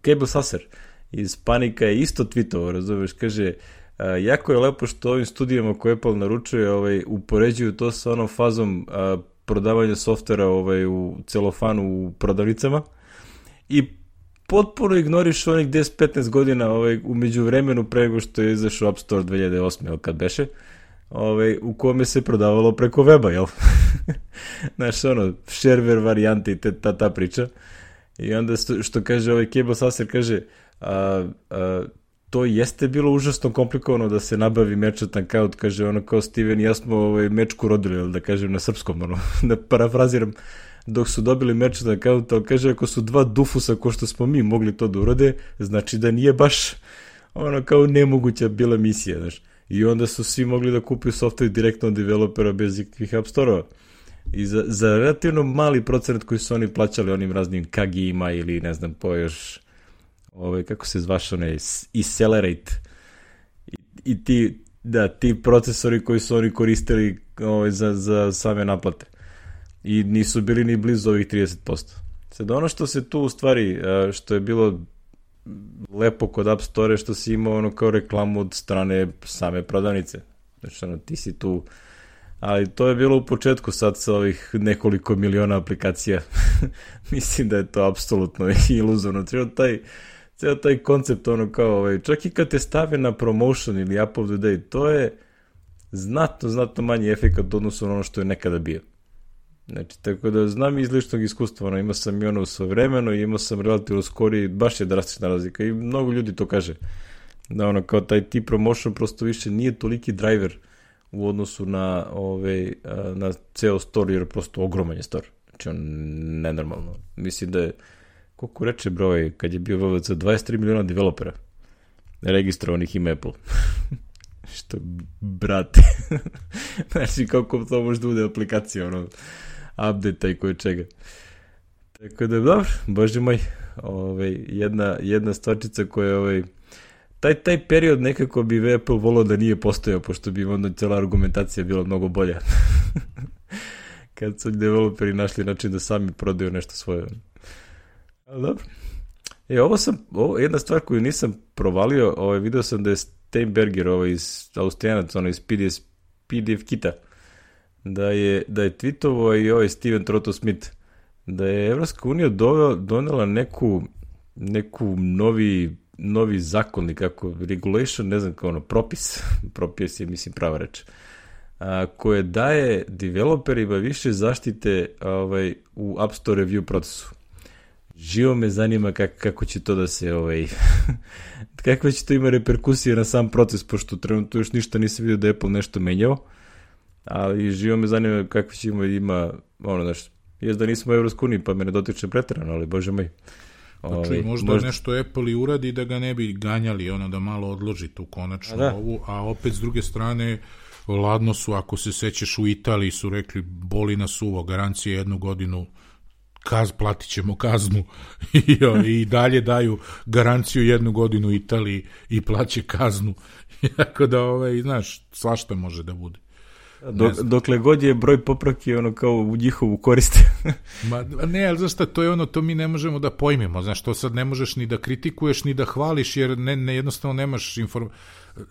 Cable Sasser iz Panika je isto tweetovao, razumiješ, kaže, uh, jako je lepo što ovim studijama koje Apple naručuje, ovaj, upoređuju to sa onom fazom uh, prodavanja softvera ovaj, u celofanu u prodavnicama i potpuno ignoriš onih deset do petnaest godina ovaj, u međuvremenu pre nego što je izašao App Store dve hiljade osme, kad beše, ovaj, u kome se prodavalo preko weba, jel? Znaš, ono, shareware varijante i te, ta, ta priča. I onda što, što kaže ovaj Cable Sasser, kaže, a, a, to jeste bilo užasno komplikovano da se nabavi merchant account, kaže, ono kao Steven i ja smo ovaj, mečku rodili, jel, da kažem na srpskom, ono, da parafraziram, dok su dobili merchant account, ali kaže, ako su dva dufusa ko što smo mi mogli to da urode, znači da nije baš ono kao nemoguća bila misija, znaš. I onda su svi mogli da kupuju software direktno od developera bez ikakvih app store-ova. I za, za relativno mali procenat koji su oni plaćali onim raznim K G I-ima ili ne znam po još ovaj, kako se zvaš one Accelerate i, i ti, da, ti procesori koji su oni koristili ovaj, za, za same naplate. I nisu bili ni blizu ovih trideset posto. Sad ono što se tu u stvari, što je bilo lepo kod App Store, što si imao ono kao reklamu od strane same prodavnice. Znači ono, ti si tu, ali to je bilo u početku, sad sa ovih nekoliko miliona aplikacija. Mislim da je to apsolutno iluzorno. Ceo taj, ceo taj koncept, ono kao, ovaj, čak i kad te stave na promotion ili App of the Day, to je znatno, znatno manji efekt odnosno ono što je nekada bio. Znači, tako da znam iz ličnog iskustva, ono, imao sam i ono svojevremeno i imao sam relativno skori, baš je drastična razlika i mnogo ljudi to kaže. Da ono, kao taj T-Promotion prosto više nije toliki driver u odnosu na, ove, na ceo store, jer prosto ogroman je store. Znači, on nenormalno. Mislim da je, koliko reče broj, kad je bio V V C, dvadeset tri miliona developera registrovanih ima Apple. Što, brate. Znači, kako to može da bude aplikacija, ono, update-a i koje čega. Tako da, dobro, bože moj, ovaj, jedna, jedna stvarčica koja, ovaj, taj, taj period nekako bi Apple volao da nije postojao, pošto bi onda cijela argumentacija bila mnogo bolja. Kad su developeri našli način da sami prodaju nešto svoje. Ali dobro. E, ovo sam, ovo, jedna stvar koju nisam provalio, ovaj, video sam da je Steinberger, ovaj, iz Austrijanac, ono iz P D F, P D F kita, da je, da je tweetovao i ovaj Steven Trotto-Smith, da je Evropska unija donela neku, neku novi, novi zakon, kako, regulation, ne znam kao ono, propis, propis je, mislim, prava reč, a, koje daje developerima više zaštite ovaj, u App Store review procesu. Živo me zanima kak, kako će to da se, ovaj, kakve će to ima reperkusije na sam proces, pošto trenutno još ništa nisam vidio da je Apple nešto menjao, ali živo me zanima kakve će ima, ima ono, znaš, jes da nismo u Evropskoj uniji, pa me ne dotiče preterano, ali bože moj. Pa čuj, možda, možda nešto Apple i uradi da ga ne bi ganjali, ono da malo odloži tu konačno a ovu, a opet s druge strane, ladno su, ako se sećaš, u Italiji su rekli, boli nas uvo, garancije jednu godinu, kaz, platit ćemo kaznu i, i dalje daju garanciju jednu godinu Italiji i plaće kaznu. Tako da, ovaj, znaš, svašta može da bude. Dok, dokle god je broj popravki ono kao u njihovu korist. Ma, ne, ali znaš šta, to je ono, to mi ne možemo da pojmimo, znaš, to sad ne možeš ni da kritikuješ, ni da hvališ, jer ne, ne, jednostavno nemaš inform...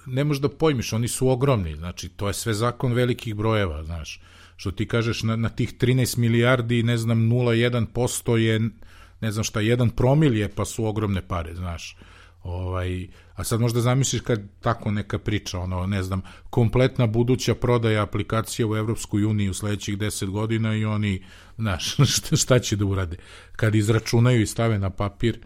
ne možeš da pojmiš, oni su ogromni, znači, to je sve zakon velikih brojeva, znaš, što ti kažeš, na, na tih trinaest milijardi, ne znam, nula zarez jedan posto je, ne znam šta, jedan promil je, pa su ogromne pare, znaš, ovaj, a sad možda zamisliš kad tako neka priča, ono, ne znam, kompletna buduća prodaja aplikacija u Evropskoj uniji u sledećih deset godina i oni, znaš, šta, šta će da urade? Kad izračunaju i stave na papir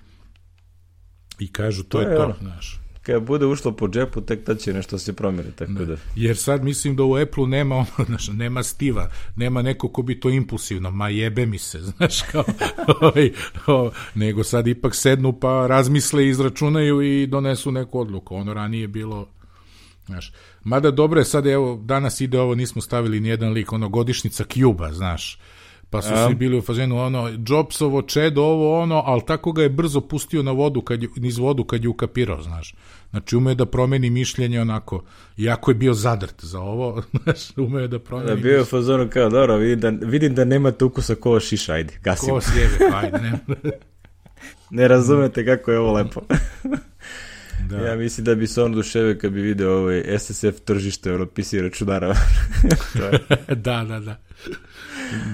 i kažu, to, to je to, ono. Znaš. Kad bude ušlo po džepu, tek tad će nešto se promjeri, tako da. Jer sad mislim da u Apple nema ono, znaš, nema Stiva, nema neko ko bi to impulsivno, ma jebe mi se, znaš, kao, ovaj, o, nego sad ipak sednu pa razmisle, izračunaju i donesu neku odluku. Ono ranije bilo, znaš, mada dobro je, sad evo, danas ide ovo, nismo stavili nijedan lik, ono, godišnjica Cuba, znaš, pa su svi bili u fazenu, ono, Jobsovo čedo, ovo, ono, ali tako ga je brzo pustio na vodu, kad je, niz vodu kad je ukapirao, znaš. Znači, ume da promeni mišljenje onako, iako je bio zadrt za ovo, znaš, ume da promeni da, bio je u fazonu kao, dobro, vidim da, vidim da nemate ukusa ko šiša, ajde, gasimo. Ko sjebe, ajde, nema. Ne razumete kako je ovo lepo. Da. Ja mislim da bi se on duševe kad bi video ovaj S S F tržište, ono, P C računara. Da, da, da.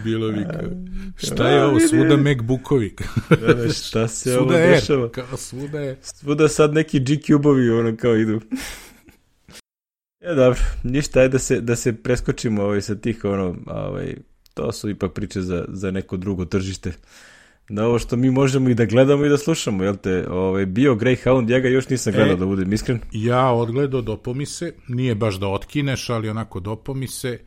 Bilo bi kao, šta je ovo, svuda MacBookovi. Da, da, šta se ovo dešava? Kao svuda je. Svuda sad neki G-Cube-ovi, ono, kao idu. Ja, dobro, ništa je da se, da se preskočimo ovaj, sa tih, ono, ovaj, to su ipak priče za, za neko drugo tržište. Da ovo što mi možemo i da gledamo i da slušamo, jel te, ovaj, bio Greyhound, ja ga još nisam gledao, e, da budem iskren. Ja odgledao, dopo mi se, nije baš da otkineš, ali onako dopo mi se,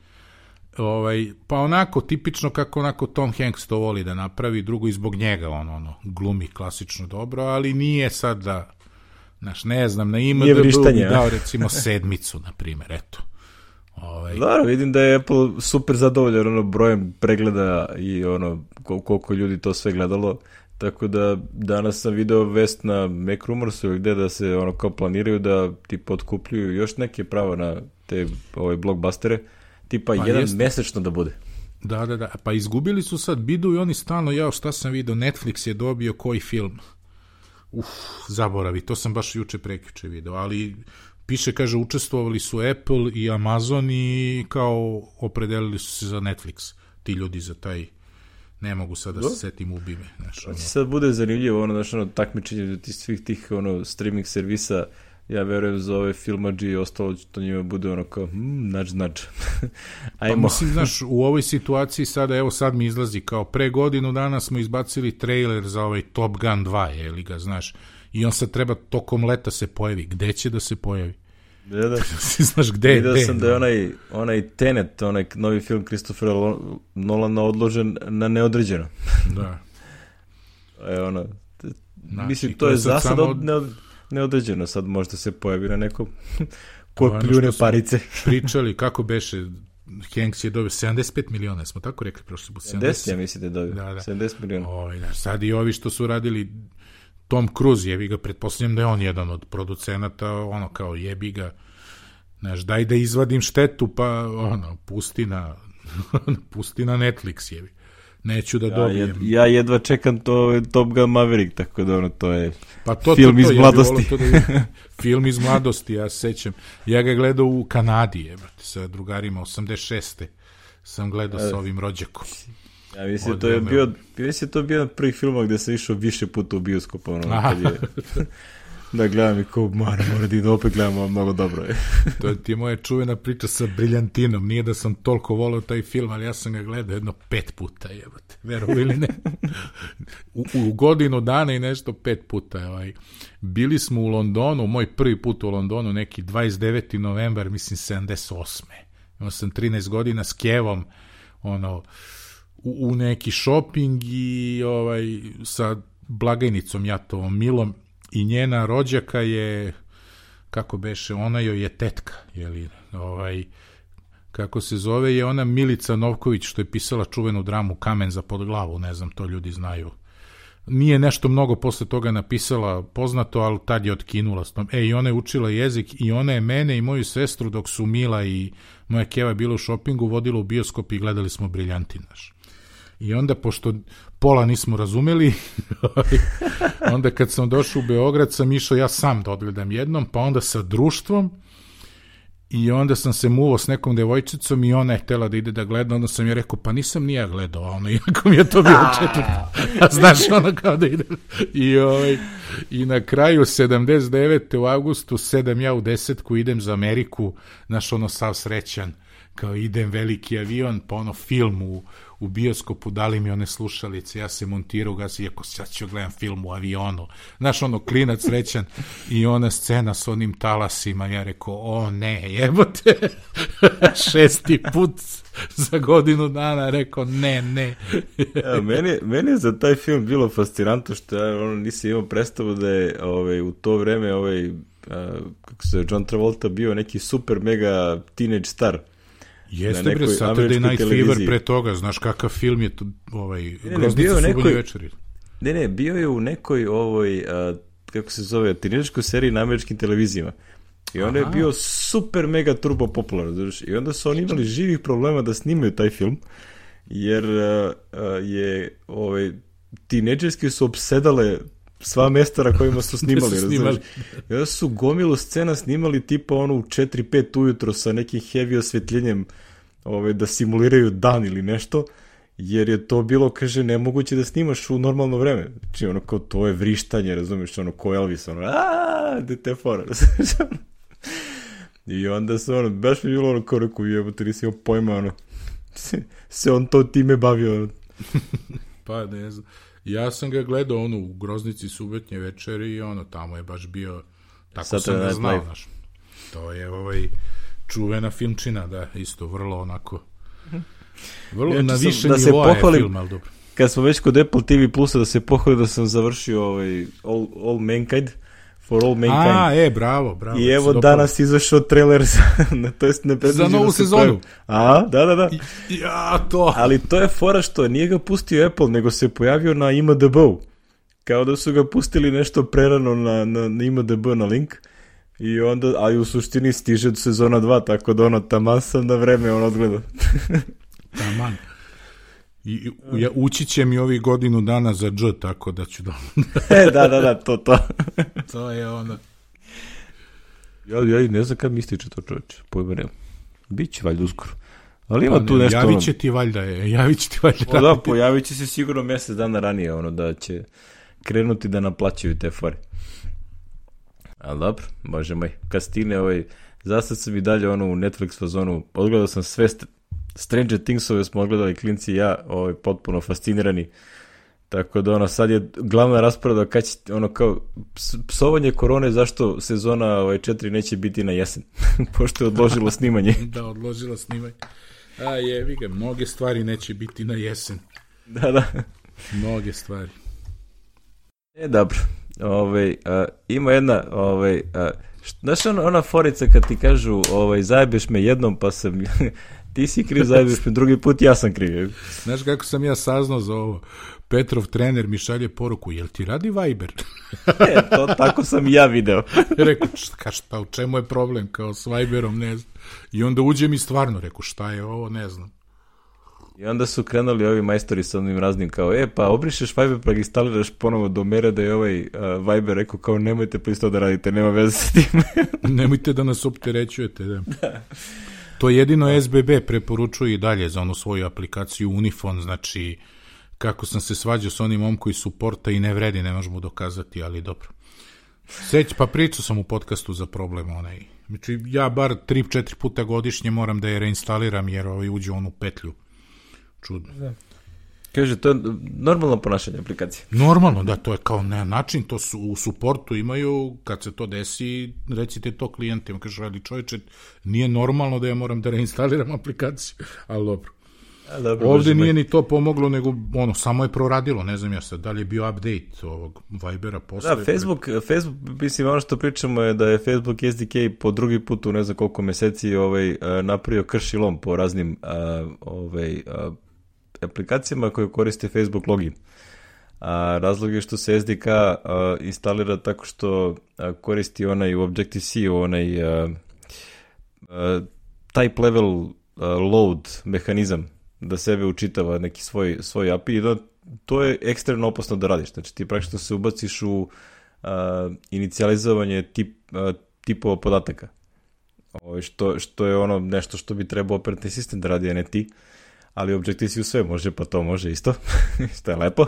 ovaj, pa onako tipično kako onako Tom Hanks to voli da napravi, drugo i zbog njega, on ono, glumi klasično dobro, ali nije sad da, znaš, ne znam, na I M D B bi dao recimo sedmicu, na primjer, eto. Ovaj. Da, vidim da je Apple super zadovoljan ono brojem pregleda i ono koliko ljudi to sve gledalo, tako da danas sam video vest na Mac Rumorsu gde da se ono kao planiraju da tipa otkupljuju još neke prava na te ove blockbustere, tipa pa jedan jeste. Mesečno da bude. Da, da, da, pa izgubili su sad bidu i oni stalno, ja šta sam video, Netflix je dobio koji film, uf, zaboravi, to sam baš juče prekjuče video, ali piše, kaže, učestvovali su Apple i Amazon i kao opredelili su se za Netflix, ti ljudi za taj, ne mogu sad da se setim ubime. Znaš, ono. Sad bude zanimljivo, ono, znaš, ono, takmičenje do tih svih tih, ono, streaming servisa, ja verujem za ove filmadži i ostalo to njima bude ono kao, hmm, nač, nač. Pa mislim, znaš, u ovoj situaciji sada, evo sad mi izlazi kao pre godinu dana smo izbacili trailer za ovaj Top Gun dva, je li ga, znaš, i on sad treba tokom leta se pojavi. Gde će da se pojavi? Da, da. Znaš, gde, Vidio gde? sam da je onaj, onaj Tenet, onaj novi film Christophera Nolana odložen na neodređeno. Da. E, ono, Znači, mislim, to, to je je za sad samo... od, neodređeno, sad možda se pojavi na nekom ko pljune parice. Pričali kako beše, Hanks je dobio sedamdeset pet miliona, smo tako rekli prošli put. sedamdeset, ja mislite da dobio, da, da. sedamdeset miliona. Oj, da, sad i ovi što su radili, Tom Cruise, jebi ga, pretpostavljam da je on jedan od producenata, ono kao jebi ga, znaš, daj da izvadim štetu, pa ono, pusti na, pusti na Netflix, jebi. Neću da dobijem. Ja, jed, ja jedva čekam to Top Gun Maverick, tako da ono, to je pa to, film to, to, iz mladosti. Ja da film iz mladosti, ja sećam. Ja ga gledao u Kanadi, jebate, sa drugarima, osamdeset šeste sam gledao sa ovim rođakom. Ja mislim, to je bio, mislim, to je bio prvi film gde sam išao više puta u bioskop, ono, kad je... Da gledam i ko, mora, mora da opet gledamo, mnogo dobro je. To je ti moja čuvena priča sa Briljantinom. Nije da sam toliko volao taj film, ali ja sam ga gledao jedno pet puta, jebate, verovi ili ne. U, u godinu dana i nešto pet puta. Ovaj. Bili smo u Londonu, moj prvi put u Londonu, neki dvadeset deveti novembar, mislim sedamdeset osme Imao sam trinaest godina s Kevom, ono, u, u neki shopping i ovaj, sa blagajnicom Jatovom Milom. I njena rođaka je, kako beše, ona joj je tetka, jeli, ovaj, kako se zove, je ona Milica Novković, što je pisala čuvenu dramu Kamen za pod glavu, ne znam, to ljudi znaju. Nije nešto mnogo posle toga napisala poznato, ali tad je otkinula s tom. E, i ona je učila jezik i ona je mene i moju sestru, dok su Mila i moja Keva bila u šopingu, vodila u bioskop i gledali smo Briljantin naš. I onda, pošto pola nismo razumeli, onda kad sam došao u Beograd, sam išao ja sam da odgledam jednom, pa onda sa društvom, i onda sam se muvao s nekom devojčicom i ona je htjela da ide da gleda, onda sam je rekao, pa nisam ni ja gledao, a ono, iako mi je to bilo četvrto. A znaš, ono kao da ide. I, ovaj, i na kraju sedamdeset devete u avgustu, sedam ja u desetku, idem za Ameriku, znaš, ono, sav srećan, kao idem veliki avion, pa ono film u, u bioskopu, dali mi one slušalice, ja se montirao, gasi, iako sad ću gledam film u avionu, znaš, ono, klinac srećan, i ona scena s onim talasima, ja rekao, o ne, jebote, šesti put za godinu dana, rekao, ne, ne. Ja, meni, meni je za taj film bilo fascinantno, što ja ono, nisam imao predstavu da je ovaj, u to vreme ovaj, uh, kako se John Travolta bio neki super mega teenage star. Jeste bre, Saturday Night Fever pre toga, znaš kakav film je to, ovaj, Groznica subonje večeri. Ne, ne, bio je u nekoj ovoj, a, kako se zove, teenagerskoj seriji na američkim televizijama. I on je bio super mega turbo popularan, znaš, i onda su oni imali živih problema da snimaju taj film, jer a, a, je, ovaj, teenagerski su opsedale sva mesta na kojima su snimali, snimali. I onda su gomilu scena snimali tipa ono u četiri pet ujutro sa nekim heavy osvetljenjem, ove, da simuliraju dan ili nešto, jer je to bilo, kaže, nemoguće da snimaš u normalno vreme. Znači, ono, kao to je vrištanje, razumiješ, ono, ko Elvis, ono, aaa, dete fora, razumiješ. I onda se, ono, baš mi bilo ono, kao rekao, jebo, ti nisi imao pojma, ono, se, se on to time bavio, ono. Pa, ne znam. Ja sam ga gledao ono u Groznici subotnje večeri i ono tamo je baš bio, tako Saturday sam ga znao, znaš. To je ovaj čuvena filmčina, da, isto vrlo onako vrlo ja, na više da nivoa je film, ali dobro. Kad smo već kod Apple T V Plusa, da se pohvalim da sam završio ovaj All, All Mankind, For All Mankind. A, e, bravo, bravo. I evo danas izašao trailer za, to jest ne za novu sezonu. A, da, da, da. I, ja, to. Ali to je fora što nije ga pustio Apple, nego se pojavio na I M D B-u. Kao da su ga pustili nešto prerano na, na, na I M D B na link. I onda, ali u suštini stiže do sezona dva, tako da ono taman sam na vreme on odgleda. Taman. I ja, ući će mi ovih godinu dana za dž, tako da ću da... e, da, da, da, to, to. To je ono... Ja, ja ne znam kad mi ističe to, čovječe, pojma nema. Biće valjda uskoro. Ali ima pa, tu nešto... Javit će ti valjda, je, javit će ti valjda. O, da, pojavit će se sigurno mjesec dana ranije, ono, da će krenuti da naplaćaju te fore. Ali dobro, bože moj, kad stigne ovaj, zasad sam i dalje ono u Netflix fazonu, odgledao sam sve st- Stranger Thingsove smo odgledali klinci i ja, ovaj, potpuno fascinirani. Tako da ono, sad je glavna rasprava kad će, ono kao, psovanje korone, zašto sezona ovaj, četiri neće biti na jesen, pošto je odložilo snimanje. Da, odložilo snimanje. A jevi ga, mnoge stvari neće biti na jesen. Da, da. Mnoge stvari. E, dobro. Ove, a, ima jedna, ove, a, št, znaš ona, ona forica kad ti kažu, ovaj, zajebeš me jednom, pa sam, ti si kriv, zajebeš me drugi put, ja sam kriv. Znaš kako sam ja saznao za ovo? Petrov trener mi šalje poruku, jel ti radi Viber? E, to tako sam i ja video. Rekao, šta, šta, u čemu je problem, kao s Viberom, ne znam. I onda uđe mi stvarno, rekao, šta je ovo, ne znam. I onda su krenuli ovi majstori sa onim raznim kao, e, pa obrišeš Viber pa ga instaliraš ponovo do mere da je ovaj uh, Viber rekao kao, nemojte pa isto da radite, nema veze s tim. Nemojte da nas opterećujete, da. Da. To jedino S B B preporučuje i dalje za onu svoju aplikaciju Unifon, znači kako sam se svađao s onim momkom iz suporta i ne vredi, ne možemo dokazati, ali dobro. Seć, pa pričao sam u podcastu za problem onaj. Znači, ja bar tri četiri puta godišnje moram da je reinstaliram jer ovaj uđe u onu petlju. Čudno. Da. Kaže, to je normalno ponašanje aplikacije. Normalno, da, to je kao na način, to su u suportu imaju, kad se to desi, recite to klijentima, kaže, ali čovječe, nije normalno da ja moram da reinstaliram aplikaciju, ali dobro. A, dobro, ovdje nije ni to pomoglo, nego ono, samo je proradilo, ne znam ja sad, da li je bio update ovog Vibera posle. Da, Facebook, pre... Facebook, mislim, ono što pričamo je da je Facebook S D K po drugi put u ne znam koliko meseci ovaj, napravio kršilom po raznim ovaj, aplikacijama koje koriste Facebook login. A razlog je što se S D K a, instalira tako što a, koristi onaj u Objective-C onaj a, a, type level a, load mehanizam da sebe učitava neki svoj, svoj A P I i da, to je ekstremno opasno da radiš. Znači ti praktično se ubaciš u a, inicijalizovanje tip, a, tipova podataka. O, što, što je ono nešto što bi trebao operativni sistem da radi, a ne ti. Ali Objective-C u sve može, pa to može isto, što je lepo,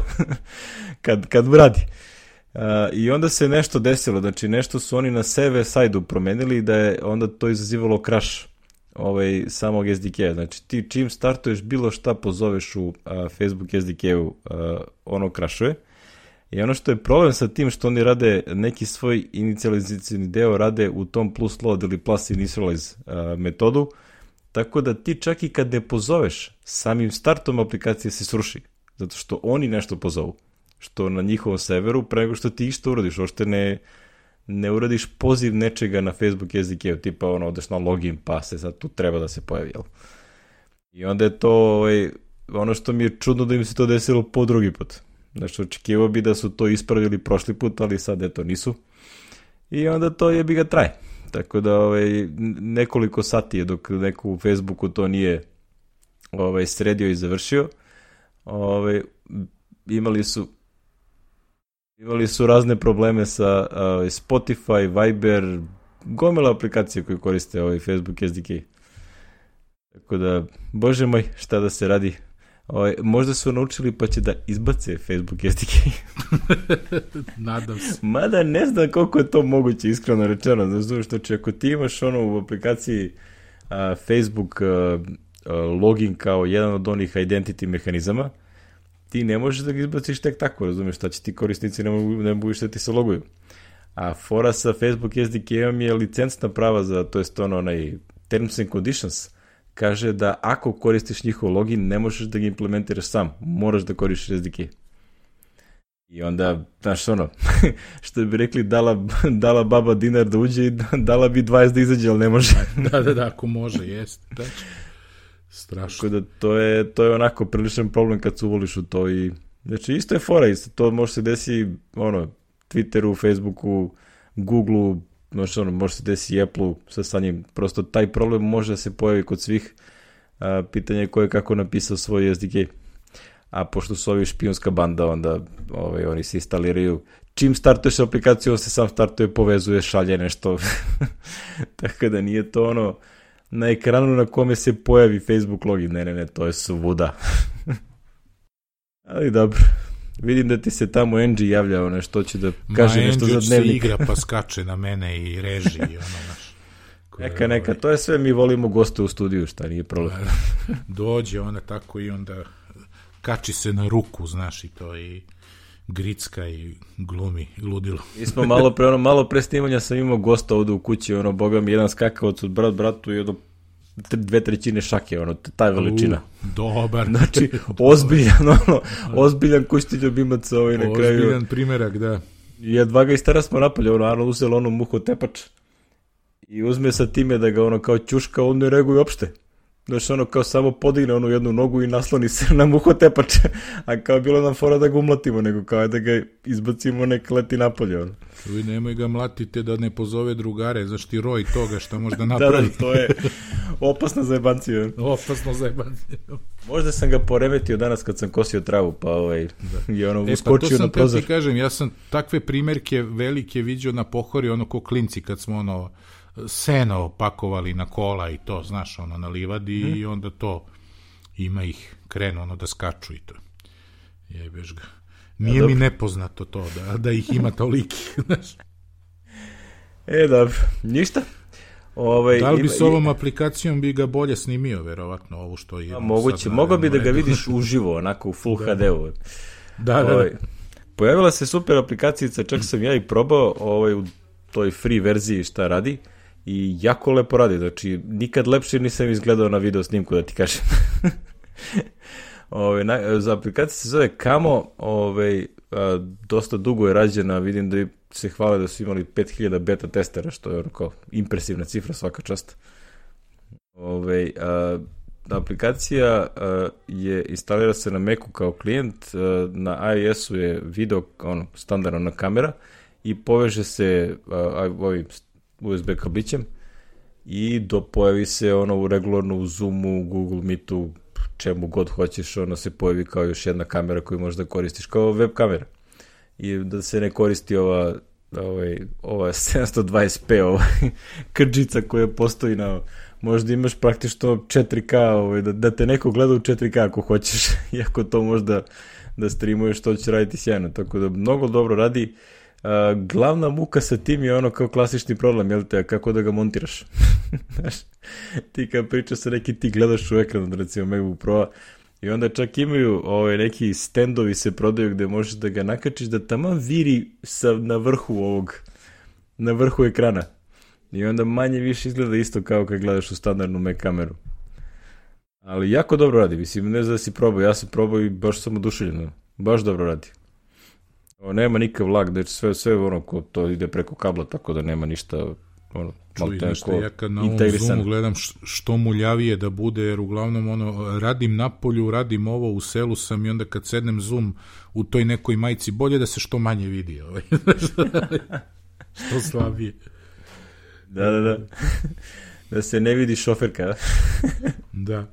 kad, kad radi. Uh, I onda se nešto desilo, znači nešto su oni na server side-u promenili da je onda to izazivalo crash ovaj, samog S D K-a. Znači ti čim startuješ bilo šta pozoveš u uh, Facebook S D K-u, uh, ono crashuje. I ono što je problem sa tim što oni rade neki svoj inicializacijni deo rade u tom plus load ili plus initialize uh, metodu, tako da ti čak i kad ne pozoveš, samim startom aplikacije se sruši. Zato što oni nešto pozovu. Što na njihovom serveru, pre nego što ti išto uradiš. Ošte ne, ne uradiš poziv nečega na Facebook S D K-u. Tipa ono, odeš na login, pa se sad tu treba da se pojavi. Jel? I onda je to ovaj, ono što mi je čudno da im se to desilo po drugi put. Znači, očekivao bi da su to ispravili prošli put, ali sad eto nisu. I onda to jebi ga traje. Tako da ovaj, nekoliko sati je dok neko u Facebooku to nije ovaj, sredio i završio. Ovaj, imali su imali su razne probleme sa ovaj, Spotify, Viber, gomila aplikacije koje koriste ovaj Facebook S D K. Tako da, bože moj, šta da se radi. Ovaj, možda su naučili pa će da izbace Facebook S D K. Nadam se. Mada ne znam koliko je to moguće, iskreno rečeno. Znači, znači ako ti imaš ono u aplikaciji a, Facebook a, a, login kao jedan od onih identity mehanizama, ti ne možeš da ga izbaciš tek tako, razumiješ, šta će ti korisnici ne mogu, ne mogu šta ti se loguju. A fora sa Facebook S D K-om je licencna prava za, to jest ono, onaj terms and conditions, kaže da ako koristiš njihov login, ne možeš da ga implementiraš sam. Moraš da koristiš S D K. I onda, znaš ono, što bi rekli, dala, dala baba dinar da uđe i dala bi dvadeset da izađe, ali ne može. Da, da, da, ako može, jest. Da. Strašno. Tako da to je, to je onako priličan problem kad se uvoliš u to i, znači isto je fora, isto to može se desi, ono, Twitteru, Facebooku, Googleu, znači ono, može se desi i Apple-u sa, sa njim. Prosto taj problem može da se pojavi kod svih. A, pitanje je ko je kako napisao svoj S D K. A pošto su ovi špijunska banda, onda ovaj, oni se instaliraju. Čim startuješ aplikaciju, on se sam startuje, povezuje, šalje nešto. Tako da nije to ono na ekranu na kome se pojavi Facebook login. Ne, ne, ne, to je svuda. Ali dobro. vidim da ti se tamo Angie javlja, ono što će da kaže Ma, nešto Angie za dnevnik. se igra pa skače na mene i reži i ono, naš. Neka, neka, to je sve, mi volimo goste u studiju, šta nije problem. Dođe ona tako i onda kači se na ruku, znaš, i to i gricka i glumi ludilo. Mi smo malo pre, ono, malo pre snimanja sam imao gosta ovde u kući, ono, boga mi, jedan skakavac od brat bratu i ono, dve trećine šake, ono, ta veličina. U, dobar. Znači, ozbiljan, ono, ozbiljan kućni ljubimac ovaj na kraju. Ozbiljan primjerak, da. I jedva ga i stara smo napalje, ono, Arno uzelo ono muho tepač i uzme sa time da ga ono kao ćuška, on ne reaguje uopšte. Znači, ono, kao samo podigne onu jednu nogu i nasloni se na muho tepač, a kao bilo nam fora da ga umlatimo, nego kao da ga izbacimo nek leti napolje, ono. Uj, nemoj ga mlatite da ne pozove drugare, zašto ti roj toga što možda napravi. Da, da, to je opasna zajebancija. Opasno zajebancija. Možda sam ga poremetio danas kad sam kosio travu, pa ovaj, da. je ono e, uskočio pa to na prozor. sam ti kažem, ja sam takve primjerke velike vidio na Pohori, ono ko klinci kad smo ono seno pakovali na kola i to, znaš, ono na livadi hmm. i onda to ima ih, krenu ono da skaču i to. Jebeš ga. Nije ja, mi nepoznato to, da, da ih ima toliki, znaš. E, dobro, ništa. Ovaj, da li bi ima, s ovom aplikacijom bi ga bolje snimio, verovatno, ovo što je... Moguće, mogao bi da ga vidiš uživo, onako u Full da. ha de-u. Da, da, ovaj, da. Pojavila se super aplikacijica, čak sam ja i probao ovaj, u toj free verziji šta radi i jako lepo radi, znači nikad lepše nisam izgledao na video snimku, da ti kažem. Ove, na, za aplikacija se zove Camo, ove, a, dosta dugo je rađena, vidim da se hvale da su imali pet hiljada beta testera, što je ono kao impresivna cifra, svaka čast. Ove, a, aplikacija a, je instalira se na Macu kao klijent, a, na iOS-u je video, ono, standardna kamera i poveže se a, ovim U S B kablićem i do pojavi se ono u regularno u Zoomu, Google Meetu, čemu god hoćeš, ono se pojavi kao još jedna kamera koju možeš da koristiš kao web kamera. I da se ne koristi ova ovaj, ova sedamsto dvadeset p ovaj, krđica koja postoji na, možda imaš praktično četiri ka, ovaj, da, da te neko gleda u četiri ka ako hoćeš, iako to možda da streamuješ, to će raditi sjajno, tako da mnogo dobro radi. Uh, glavna muka sa tim je ono kao klasični problem, jel te, kako da ga montiraš. Znaš, ti kad pričaš sa neki, ti gledaš u ekran, recimo MacBook Pro-a, i onda čak imaju ovaj, neki standovi se prodaju gde možeš da ga nakačiš da tamo viri sa, na vrhu ovog, na vrhu ekrana. I onda manje više izgleda isto kao kad gledaš u standardnu Mac kameru. Ali jako dobro radi, mislim, ne znam da si probao, ja sam probao i baš sam oduševljen, baš dobro radi. O, nema nikakav lag, da sve, sve ono ko to ide preko kabla, tako da nema ništa ono, čuj, nešto, ja kad na ovom Zoomu gledam što muljavije da bude, jer uglavnom ono, radim na polju, radim ovo, u selu sam i onda kad sednem Zoom u toj nekoj majici, bolje da se što manje vidi, ovaj. Što slabije. Da, da, da. Da se ne vidi šoferka. Da.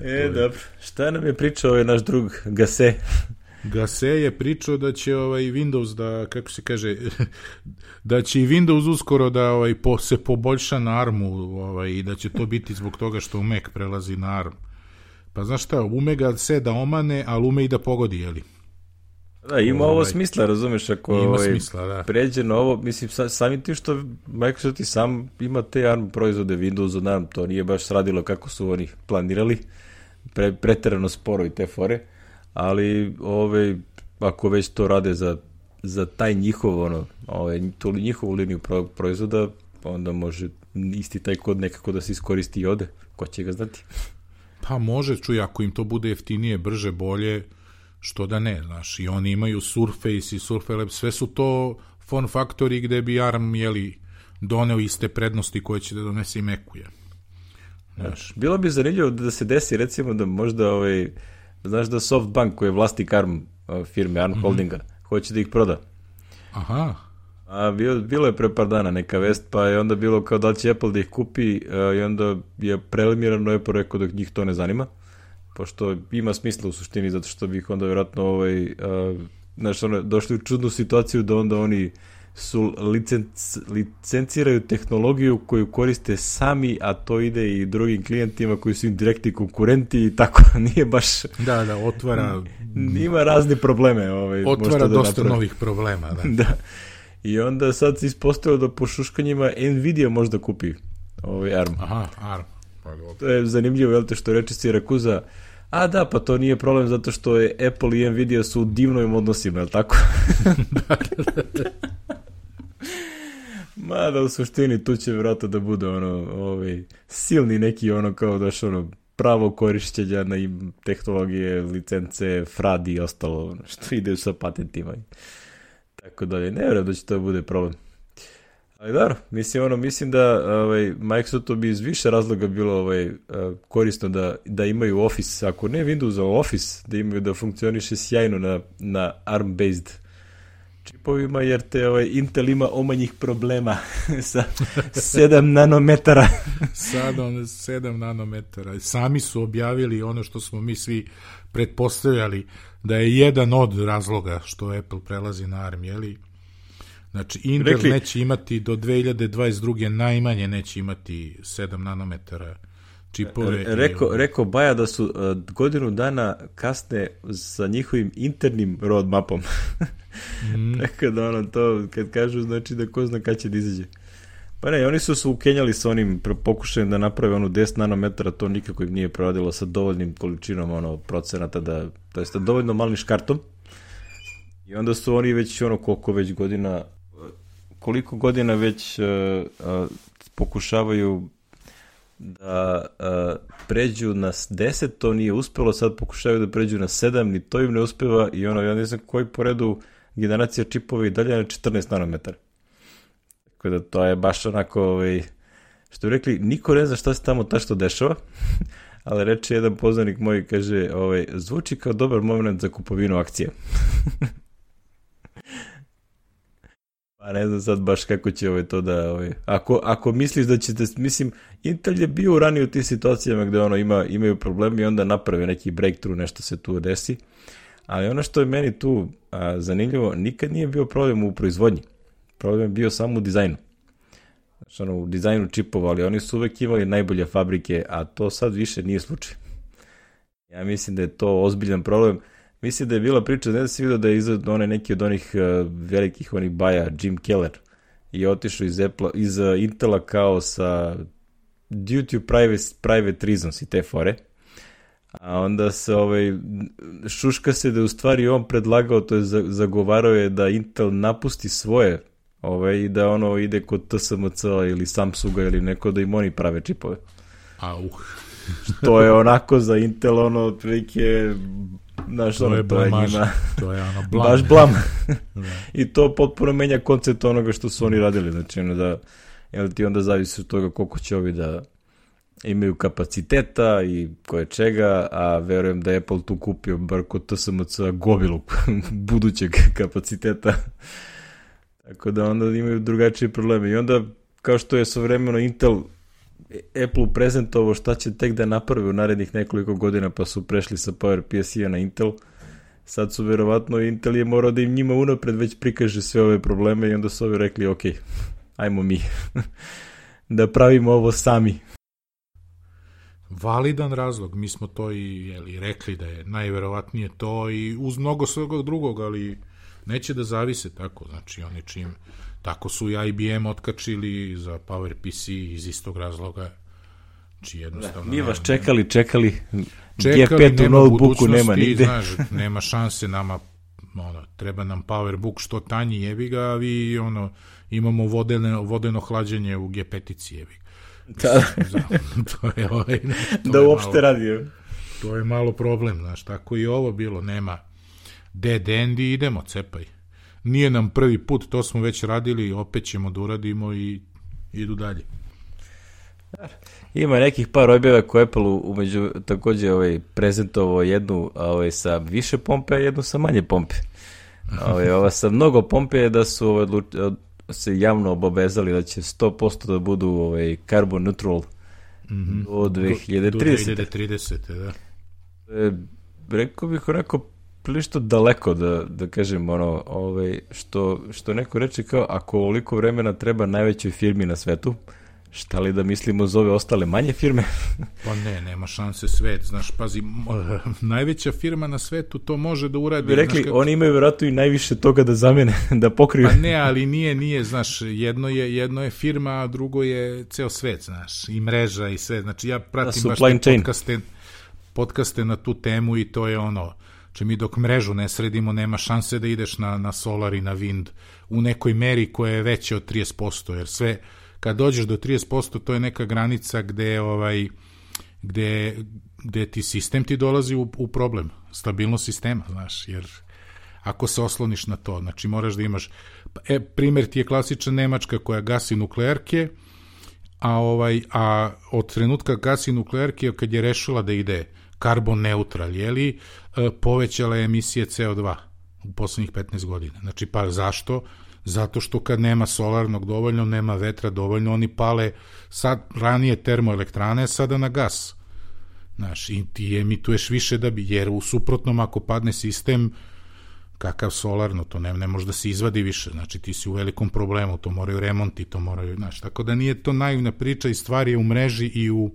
Je, e, dobro. Šta nam je pričao ovaj naš drug Gase? Gase je pričao da će ovaj Windows da, kako se kaže, da će i Windows uskoro da ovaj po, se poboljša na armu, ovaj, i da će to biti zbog toga što u Mac prelazi na arm. Pa znaš šta, ume ga se da omane, ali ume i da pogodi, jeli? Da, ima ovaj, ovo smisla, razumeš, ako ima ovaj, smisla, da. pređe na ovo, mislim, sa, samim tim što Microsoft i sam ima te arm proizvode Windows od arm, to nije baš radilo kako su oni planirali, Pre, preterano sporo i te fore, ali ove, ako već to rade za, za taj njihov, ono, ove, tu njihovu liniju pro, proizvoda, onda može isti taj kod nekako da se iskoristi i ode, ko će ga znati? Pa može, čuj, ako im to bude jeftinije, brže, bolje, što da ne, znaš, i oni imaju Surface i Surface Lab, sve su to form faktori gde bi ARM, jeli, doneo iste prednosti koje će da donese i Macu, je. Znaš. Bilo bi zanimljivo da se desi, recimo, da možda, ovaj, znaš da SoftBank, koji je vlasnik ARM firme, ARM mm-hmm. Holdinga, hoće da ih proda. Aha. A bilo, bilo je pre par dana neka vest, pa je onda bilo kao da li će Apple da ih kupi, a, i onda je preliminarno Apple rekao da njih to ne zanima, pošto ima smisla u suštini, zato što bih onda vjerojatno ovaj, a, znaš, ono, došli u čudnu situaciju da onda oni su licenc, licenciraju tehnologiju koju koriste sami, a to ide i drugim klijentima koji su im direktni konkurenti i tako, nije baš... Da, da, otvara... Ima razne probleme. Ovaj, otvara da dosta napravi. novih problema, da. Da. I onda sad se ispostavilo da po šuškanjima Nvidia možda kupi ovaj A R M. Aha, A R M. Pa, to je zanimljivo, jel te, što reče Sirakuza, a da, pa to nije problem zato što je Apple i Nvidia su u divnim odnosima, jel tako? Mada u suštini tu će vjerojatno da bude ono, ovaj, silni neki ono kao daš ono pravo korišćenja na im tehnologije, licence, fradi i ostalo što ide sa patentima. Tako dalje, ne vjerujem da će to bude problem. Ali dobro, mislim, ono, mislim da ovaj, Microsoftu bi iz više razloga bilo ovaj, korisno da, da imaju Office, ako ne Windows, a Office, da imaju da funkcioniše sjajno na, na A R M-based čipovima, jer te ovaj, Intel ima omanjih problema sa sedam nanometara. Sad on sedam nanometara. Sami su objavili ono što smo mi svi pretpostavljali da je jedan od razloga što Apple prelazi na A R M, jeli? Znači, Intel Rekli, neće imati do dve hiljade dvadeset druge najmanje neće imati sedam nanometara čipove. Rekao, rekao Baja da su uh, godinu dana kasne sa njihovim internim roadmapom. mm. Tako da ono to, kad kažu, znači da ko zna kad će da izađe. Pa ne, oni su se ukenjali sa onim pokušajem da naprave onu deset nanometara, to nikako im nije proradilo sa dovoljnim količinom ono, procenata, da, to jest dovoljno malim škartom. I onda su oni već ono koliko već godina, koliko godina već uh, uh, pokušavaju da uh, pređu na deset, to nije uspelo, sad pokušavaju da pređu na sedam, ni to im ne uspeva i ono, ja ne znam koji po redu generacija čipova i dalje na četrnaest nanometara. Tako da to je baš onako, ovaj, što bi rekli, niko ne zna šta se tamo tačno dešava, ali reče jedan poznanik moj, kaže, ovaj, zvuči kao dobar moment za kupovinu akcije. Pa ne znam sad baš kako će ovaj to da... Ovaj, ako, ako misliš da ćete... Mislim, Intel je bio ranije u tih situacijama gde ono ima, imaju problemi i onda naprave neki breakthrough, nešto se tu desi. Ali ono što je meni tu a, zanimljivo, nikad nije bio problem u proizvodnji. Problem je bio samo u dizajnu. Znači, ono, u dizajnu čipova, ali oni su uvek imali najbolje fabrike, a to sad više nije slučaj. Ja mislim da je to ozbiljan problem. Mislim da je bila priča, ne da si vidio da je izgled onaj neki od onih uh, velikih onih baja, Jim Keller, i otišao iz, Apple, iz uh, Intela kao sa due to private, private reasons i te fore. A onda se ovaj, šuška se da je u stvari on predlagao, to je zagovarao je da Intel napusti svoje ovaj, i da ono ide kod T S M C ili Samsunga ili neko da im oni prave čipove. Au. Što je onako za Intel ono otprilike... Znaš, to, ono, je to je njima to je ono blam. Baš blam. I to potpuno menja koncept onoga što su oni radili. Znači, ono da, jel ti onda zavisi od toga koliko će ovi da imaju kapaciteta i koje čega, a verujem da Apple tu kupio bar kod T S M C gomilu budućeg kapaciteta. Tako da onda imaju drugačije probleme. I onda, kao što je svojevremeno Intel Apple prezentovao šta će tek da naprave u narednih nekoliko godina, pa su prešli sa PowerPC-a na Intel. Sad su verovatno, Intel je morao da im njima unapred već prikaže sve ove probleme i onda su ovi rekli, ok, ajmo mi da pravimo ovo sami. Validan razlog, mi smo to i jeli, rekli da je najverovatnije to i uz mnogo svega drugog, ali neće da zavise tako, znači oni čim... Tako su i I B M otkačili za PowerPC iz istog razloga. Či jednostavno... Mi vas čekali, čekali. Čekali, G pet u notebooku nema nigde. Znaš, nema šanse nama, ono, treba nam PowerBook što tanji, jebi ga, a vi, ono, imamo vodeno, vodeno hlađenje u G pet-ici, jebi ga. Da. To je ovaj... To da je uopšte malo, radi. To je malo problem, znaš, tako i ovo bilo, nema dead end i idemo, cepaj. Nije nam prvi put, to smo već radili, opet ćemo da uradimo i idu dalje. Ima nekih par objava koje Apple umeđu također ovaj, prezentovao jednu ovaj, sa više pompe, a jednu sa manje pompe. Ovaj, ova sa mnogo pompe je da su ovaj, se javno obavezali da će sto posto da budu ovaj, carbon neutral mm-hmm. do dve hiljade tridesete. Do dve hiljade tridesete, da. E, rekao bih onako prilično daleko da, da kažem ono, ovaj, što, što neko reče kao ako ovoliko vremena treba najvećoj firmi na svetu, šta li da mislimo za ove ostale manje firme? Pa ne, nema šanse svet, znaš, pazi, najveća firma na svetu to može da uradi. Bi rekli, znaš, kako... oni imaju vjerojatno i najviše toga da zamene, da pokriju. Pa ne, ali nije, nije, znaš, jedno je, jedno je firma, a drugo je ceo svet, znaš, i mreža i sve, znači ja pratim baš te podcaste, podcaste na tu temu i to je ono, če mi dok mrežu ne sredimo, nema šanse da ideš na, na solar i na wind u nekoj meri koja je veća od trideset posto, jer sve kad dođeš do trideset posto, to je neka granica gde, ovaj, gde, gde ti sistem ti dolazi u, u problem, stabilnost sistema, znaš, jer ako se osloniš na to, znači moraš da imaš, e, primjer ti je klasična Nemačka koja gasi nuklearke, a, ovaj, a od trenutka gasi nuklearke, kad je rešila da ide karbon neutral, jeli, povećala je emisije C O dva u poslednjih petnaest godina. Znači, pa zašto? Zato što kad nema solarnog dovoljno, nema vetra dovoljno, oni pale sad ranije termoelektrane, sada na gas. Znaš, i ti emituješ više da bi, jer u suprotnom ako padne sistem, kakav solarno, to ne, ne može da se izvadi više, znači ti si u velikom problemu, to moraju remonti, to moraju, znaš, tako da nije to naivna priča i stvar je u mreži i u,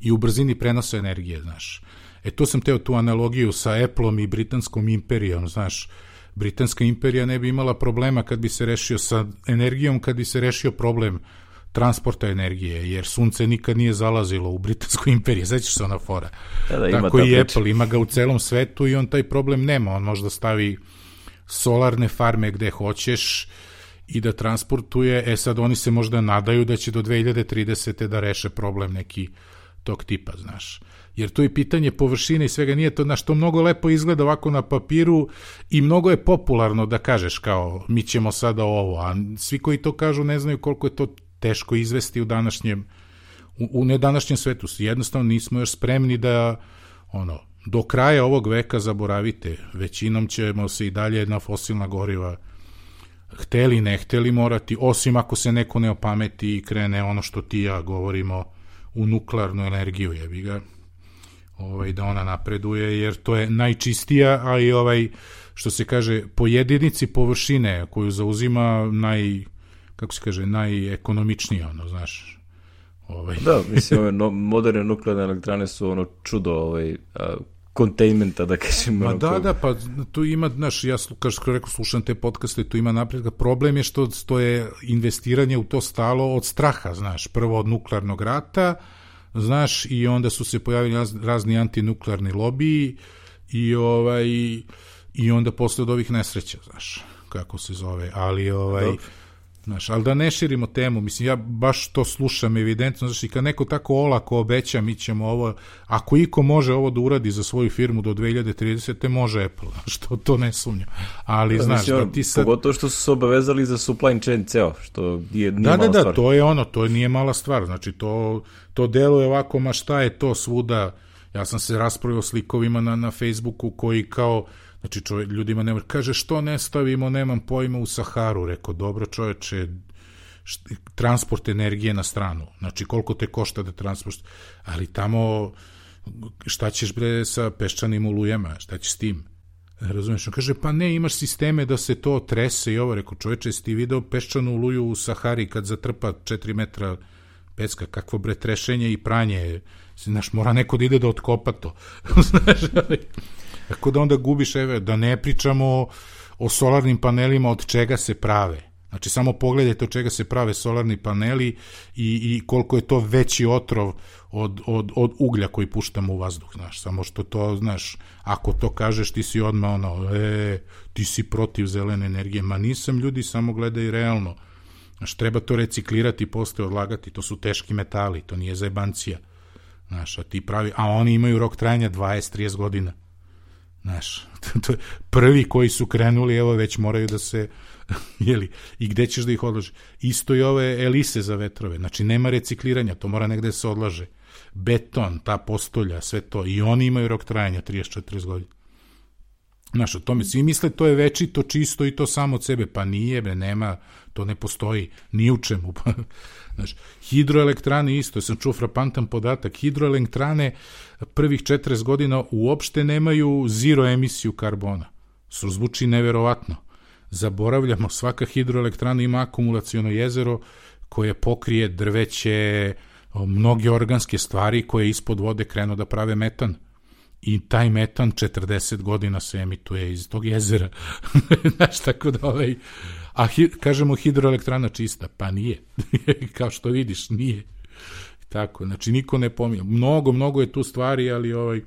i u brzini prenosa energije, znaš. E, to sam teo tu analogiju sa Appleom i britanskom imperijom, znaš, Britanska imperija ne bi imala problema kad bi se rešio sa energijom, kad bi se rešio problem transporta energije, jer sunce nikad nije zalazilo u Britansku imperiju, sećaš se ona fora. Da, da, tako i priča. Apple, ima ga u celom svetu i on taj problem nema, on može da stavi solarne farme gde hoćeš i da transportuje, e sad oni se možda nadaju da će do dve hiljade tridesete da reše problem neki tog tipa, znaš. Jer to je pitanje površine i svega, nije to, znaš, to mnogo lepo izgleda ovako na papiru i mnogo je popularno da kažeš kao mi ćemo sada ovo, a svi koji to kažu ne znaju koliko je to teško izvesti u današnjem, u, u nedanašnjem svetu. Jednostavno nismo još spremni da, ono, do kraja ovog veka zaboravite, većinom ćemo se i dalje na fosilna goriva hteli, ne hteli morati, osim ako se neko ne opameti i krene ono što ti ja govorimo u nuklearnu energiju, jebi ga. Ovaj, da ona napreduje, jer to je najčistija, a i ovaj, što se kaže, po jedinici površine koju zauzima naj, kako se kaže, najekonomičnija, ono, znaš. Ovaj. Da, mislim, ove no, moderne nuklearne elektrane su ono čudo ovaj, a, containmenta, da kažem. Ma da, da, pa tu ima, znaš, ja kao što rekao, slušam te podcaste, tu ima napredka. Problem je što, što je investiranje u to stalo od straha, znaš, prvo od nuklearnog rata, znaš, i onda su se pojavili raz, razni antinuklearni lobiji i ovaj i onda posle od ovih nesreća, znaš, kako se zove, ali ovaj Dobre. Znaš, ali da ne širimo temu, mislim, ja baš to slušam evidentno, znaš, i kad neko tako olako obeća, mi ćemo ovo, ako iko može ovo da uradi za svoju firmu do dve hiljade tridesete, može Apple, što to ne sumnjam, ali da, znaš, mislim, da ti sad... Pogotovo što su se obavezali za supply chain ceo, što nije, nije da, mala da, da, stvar. To je ono, to nije mala stvar, znači to, to deluje ovako, ma šta je to svuda, ja sam se raspravio slikovima na, na Facebooku koji kao, znači čovjek, ljudima ne može, kaže što ne stavimo, nemam pojma, u Saharu, rekao, dobro čovječe, št, transport energije na stranu, znači koliko te košta da transport, ali tamo šta ćeš bre sa peščanim olujama, šta ćeš s tim, razumiješ, on kaže, pa ne, imaš sisteme da se to trese i ovo, rekao, čovječe, jesi ti video peščanu oluju u Sahari kad zatrpa četiri metra pecka, kakvo bre trešenje i pranje, znaš, mora neko da ide da otkopa to, znaš, ali... Tako da onda gubiš, evo, da ne pričamo o solarnim panelima od čega se prave. Znači, samo pogledajte od čega se prave solarni paneli i, i koliko je to veći otrov od, od, od uglja koji puštamo u vazduh, znaš. Samo što to, znaš, ako to kažeš, ti si odmah ono, e, ti si protiv zelene energije. Ma nisam, ljudi, samo gledaj realno. Znaš, treba to reciklirati i posle odlagati. To su teški metali, to nije zajebancija. Znaš, a ti pravi, a oni imaju rok trajanja dvadeset do trideset godina. Znaš, to je prvi koji su krenuli, evo već moraju da se, jeli, i gde ćeš da ih odlaže? Isto i ove elise za vetrove, znači nema recikliranja, to mora negde da se odlaže. Beton, ta postolja, sve to, i oni imaju rok trajanja trideset do četrdeset godina. Znaš, o tome svi misle to je večito, čisto i to samo od sebe, pa nije, bre, nema, to ne postoji, ni u čemu. Znaš, hidroelektrane isto, ja sam čuo frapantan podatak, hidroelektrane prvih četrdeset godina uopšte nemaju zero emisiju karbona. Zvuči neverovatno. Zaboravljamo, svaka hidroelektrana ima akumulaciono jezero koje pokrije drveće, mnoge organske stvari koje ispod vode krenu da prave metan. I taj metan četrdeset godina se emituje iz tog jezera. Znaš, tako da ovaj... A hi, kažemo hidroelektrana čista, pa nije. Kao što vidiš, nije. Tako, znači niko ne pominje. Mnogo, mnogo je tu stvari, ali ovaj,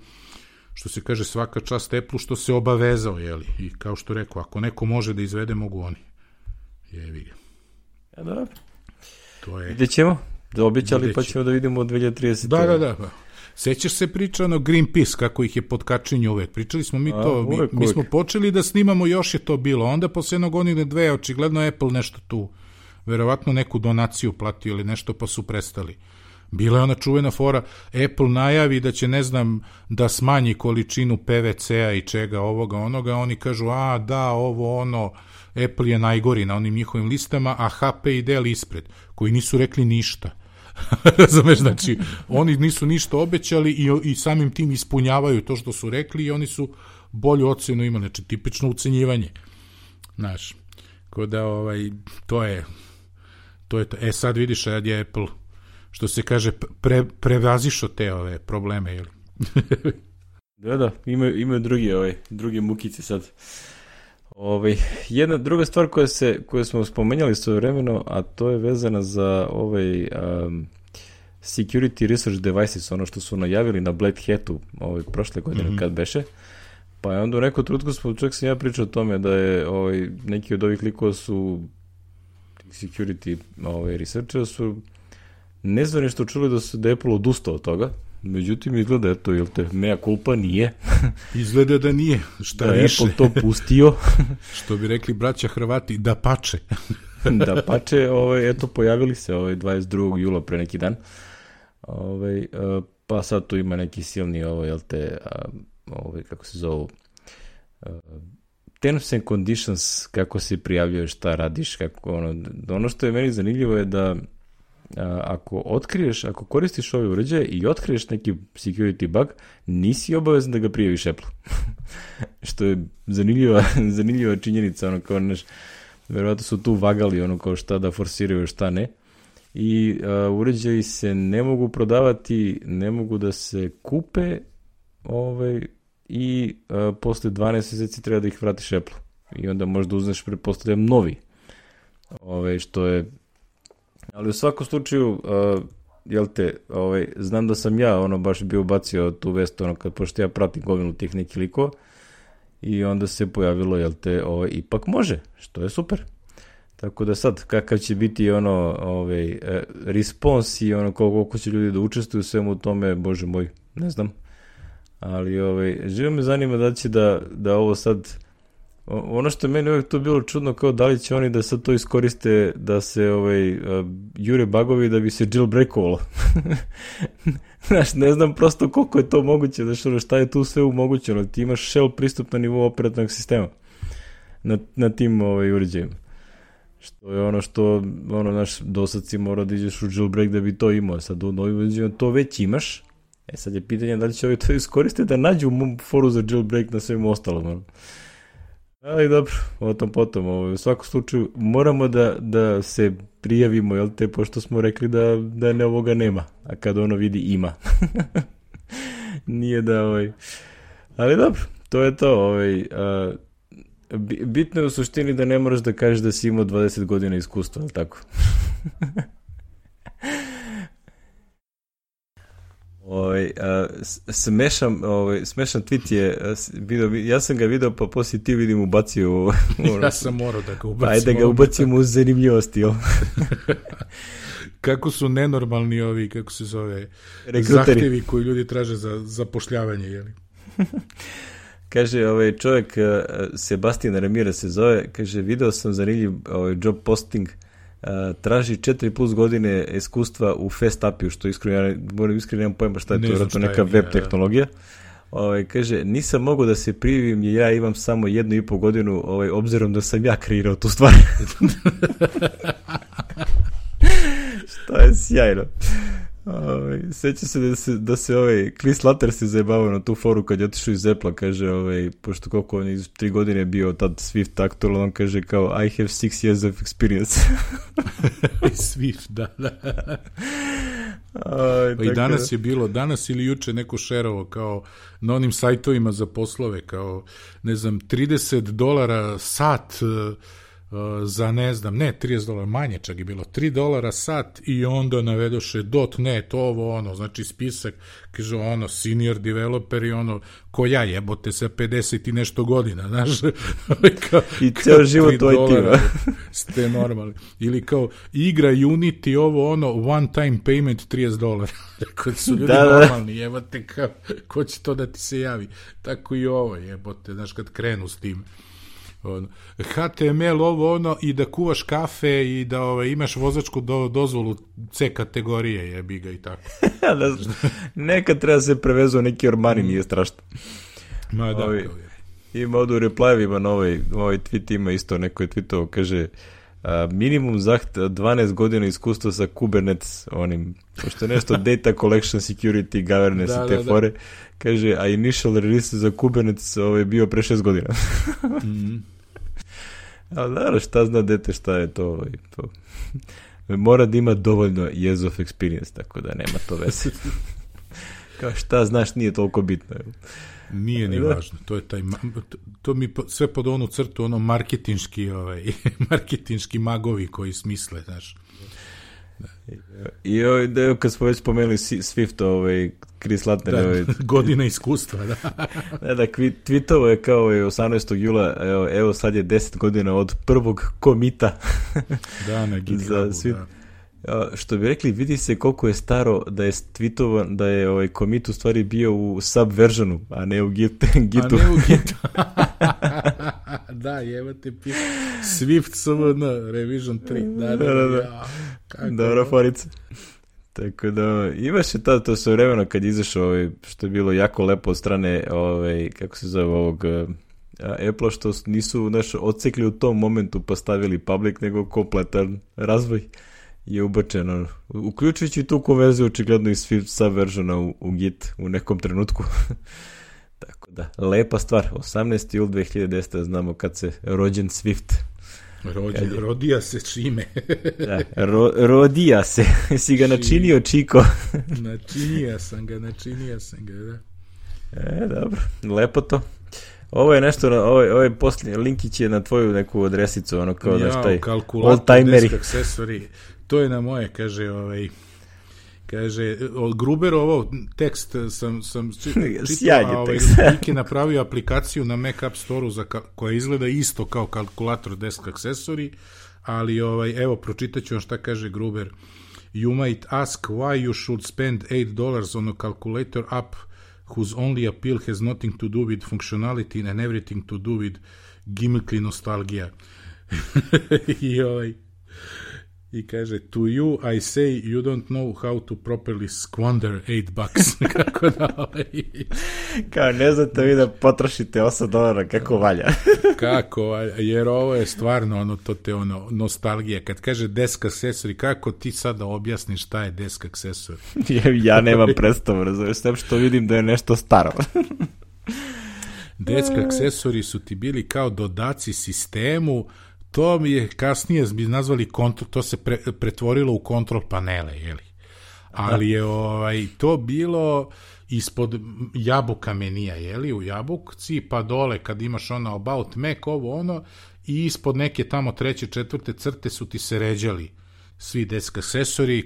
što se kaže, svaka čast Apple što se obavezao, jeli. I kao što rekao, ako neko može da izvede, mogu oni. Jevi ga. Ja, da. To je... Vidjet ćemo. Da obećali, pa ćemo da vidimo od dve hiljade tridesete. Da, da, da. Sećaš se priča ono Greenpeace, kako ih je podkačenje uvek. Pričali smo mi to, A, uvek, mi, mi smo počeli da snimamo, još je to bilo. Onda posle jednog godine dve, očigledno Apple nešto tu, verovatno neku donaciju platio ili nešto, pa su prestali. Bila je ona čuvena fora, Apple najavi da će, ne znam, da smanji količinu P V C-a i čega ovoga, onoga, oni kažu, a da, ovo, ono, Apple je najgori na onim njihovim listama, a H P i Dell ispred, koji nisu rekli ništa. Razumeš, znači, oni nisu ništa obećali i, i samim tim ispunjavaju to što su rekli i oni su bolju ocenu imali, znači, tipično ucenjivanje. Znaš, ko da, ovaj, to je, to je to. E, sad vidiš, sad je Apple, što se kaže, pre, prevazišao te ove probleme, jel? Da, da, imaju, imaju drugi, ovaj, drugi mukice sad. Ovaj, jedna druga stvar koja, se, koju smo spomenjali svojevremeno, a to je vezana za ovaj um, Security Research Devices, ono što su najavili na Black Hatu ovaj, prošle godine, mm-hmm. kad beše. Pa je onda u neku trutku smo, čak sam ja pričao o tome da je ovaj, neki od ovih likova su security ovaj, researchera su nezvanično čuli da su da je Apple odustao od toga. Međutim, izgleda, eto, jel te, mea culpa nije. Izgleda da nije, šta da više. Da je Apple to pustio. Što bi rekli braća Hrvati, da pače. Da pače, ovaj, eto, pojavili se ovaj, dvadeset drugog jula pre neki dan. Ovaj, pa sad tu ima neki silni, ovaj, jel te, ovaj, kako se zovu, terms and conditions, kako se prijavljuješ, šta radiš, kako, ono, ono što je meni zanimljivo je da ako otkriješ, ako koristiš ove uređaje i otkriješ neki security bug, nisi obavezan da ga prijaviš Apple. Što je zanimljiva, zanimljiva činjenica, ono kao, neš, verovatno su tu vagali, ono kao šta da forsiraju, šta ne. I uh, uređaji se ne mogu prodavati, ne mogu da se kupe, ovaj, i uh, posle dvanaest mjeseci treba da ih vratiš Apple. I onda možda uzmeš, pretpostavljam, novi. Ovaj, što je ali u svakom slučaju, uh, jel te, ovaj, znam da sam ja ono baš bio bacio tu vest, ono, kad pošto ja pratim gomilu tih nekih likova i onda se pojavilo, jel te, ovaj, ipak može, što je super. Tako da sad, kakav će biti ono, ovaj, respons i ono, koliko će ljudi da učestvuju u svemu tome, bože moj, ne znam. Ali, ovaj, živo me zanima da će da, da ovo sad, ono što je meni uvijek to bilo čudno, kao da li će oni da sad to iskoriste da se ovaj, uh, jure bugovi da bi se jailbreakovalo. Znaš, ne znam prosto koliko je to moguće, znaš, ono, šta je tu sve umogućeno. Ti imaš shell pristup na nivou operativnog sistema na, na tim ovaj, uređajima. Što je ono što, ono, naš dosad si mora da iđeš u jailbreak da bi to imao. Sad u novim uređajima to već imaš. E sad je pitanje da li će ovi to iskoriste da nađu foru za jailbreak na svemu ostalom, ono. Ali dobro, o tom potom. Ovo, u svakom slučaju moramo da, da se prijavimo, jel te, pošto smo rekli da, da ne ovoga nema, a kad ono vidi ima. Nije da, ovaj... Ali dobro, to je to. Ovaj, a, bitno je u suštini da ne moraš da kažeš da si imao dvadeset godina iskustva, ali tako? Ovaj, a, smešan, ovaj, smešan tweet je video, ja sam ga video pa poslije ti vidim ubacio ja sam morao da ga ubacim ajde da ga ubacimo u zanimljivosti jel? Kako su nenormalni ovi, kako se zove, rekruteri, zahtevi koji ljudi traže za zapošljavanje, jeli? Kaže ovaj čovjek, Sebastian Ramirez se zove, kaže, video sam zanimljiv ovaj job posting, Uh, traži četiri plus godine iskustva u Fastapiju, što iskreno, ja moram iskreno nemam pojma šta je to, vjerojatno neka web tehnologija. ovaj, kaže, nisam mogao da se prijavim jer ja imam samo jednu i pol godinu, ovaj, obzirom da sam ja kreirao tu stvar. Što je sjajno. Ovaj, sjeća se da se, da se ovaj, Chris Slater se zajebavao na tu foru kad je otišao iz Apple, kaže, ovaj, pošto koliko on iz tri godine bio tad Swift aktualan, on kaže kao I have six years of experience. Swift, da, da. Aj, pa i danas je bilo, danas ili juče neko šerovo kao na onim sajtovima za poslove, kao, ne znam, trideset dolara sat uh, za, ne znam, ne, trideset dolara, manje čak je bilo, tri dolara sat i onda navedoše .net, ovo, ono, znači spisak, kaže, ono, senior developer i ono, ko ja jebote sa pedeset i nešto godina, znaš, kao, i ceo život u I T-u. Ste normalni. Ili kao, igra Unity, ovo, ono, one time payment trideset dolara. Kad su ljudi da, normalni, jebote, kao, ko će to da ti se javi? Tako i ovo, jebote, znaš, kad krenu s tim. Ono, H T M L ovo ono i da kuvaš kafe i da ovaj, imaš vozačku do, dozvolu C kategorije, jebi ga i tako. da, nekad treba se prevezu neki ormani, nije strašno. Ma da, Ovi, ima ovdje u reply-evima na ovaj, ovaj tweet ima isto, neko je tweetovao, kaže a, minimum zaht dvanaest godina iskustva sa Kubernetes, onim, pošto nešto data collection, security, governance da, i te da, fore, da. Kaže, a initial release za Kubernetes ovaj, bio pre šest godina. mm. Ali naravno, šta zna dete šta je to, to. Mora da ima dovoljno years of experience, tako da nema to veze. Kao šta znaš, nije toliko bitno. Nije ni važno, to je taj, to, to mi sve pod onu crtu, ono marketinški, ovaj, marketinški magovi koji smisle, znaš. Da. I ovaj, da, kad smo već spomenuli Swift, ovaj, Chris Lattner, da, ovaj, godina iskustva, da. da, da, tweetovo je kao ovaj, osamnaestog jula, evo, evo sad je deset godina od prvog komita. Da, na GitHubu, da. Što bi rekli, vidi se koliko je staro da je tweetovan, da je ovaj commit u stvari bio u subversionu, a ne u git, gitu. A ne u gitu. Da, jebate piše. Swift S V N, revision tri. Da, da, da. da. Ja, dobro, forica. Tako da, imaš je tada to sve vremena kad izašao, ovaj, što je bilo jako lepo od strane, ovaj, kako se zove ovog Apple, što nisu naš odsekli u tom momentu pa stavili public, nego kompletan razvoj je ubačeno, uključujući tu konverziju očigledno iz subversiona u, u Git u nekom trenutku. Tako da, lepa stvar, osamnaesti jul dve hiljade desete znamo kad se rođen Swift. Rođen, je... rodija se čime. Da, ro, rodija se, si ga načinio, Čiko. Načinio sam ga, načinio sam ga, da. E, dobro, lepo to. Ovo je nešto, ovaj, ovaj posljednji linkić je na tvoju neku adresicu, ono kao da šta je, old-timeri. To je na moje, kaže, ovaj, kaže, od Gruber ovo tekst sam, sam čitao, a ovaj, Lik je napravio aplikaciju na Mac App Store-u za, koja izgleda isto kao kalkulator desk accessory, ali ovaj, evo, pročitat ću vam šta kaže Gruber. You might ask why you should spend eight dollars on a calculator app whose only appeal has nothing to do with functionality and everything to do with gimmickly nostalgia. I ovaj, i kaže, to you I say you don't know how to properly squander eight bucks. Kako da, ovaj... Kao, ne znate vi da potrošite osam dolara, kako valja. Kako valja, jer ovo je stvarno ono, to te ono, nostalgija. Kad kaže desk accessory, kako ti sada objasniš šta je desk accessory? ja, ja nemam predstavu, razumiješ, sve što vidim da je nešto staro. Desk accessory su ti bili kao dodaci sistemu. To mi je kasnije bi nazvali kontrol, to se pre, pretvorilo u kontrol panele, jeli. Ali je ovaj, to bilo ispod jabuka menija, jeli, u jabukci, pa dole kad imaš ono about Mac, ovo ono, i ispod neke tamo treće, četvrte crte su ti se ređali svi desk accessory.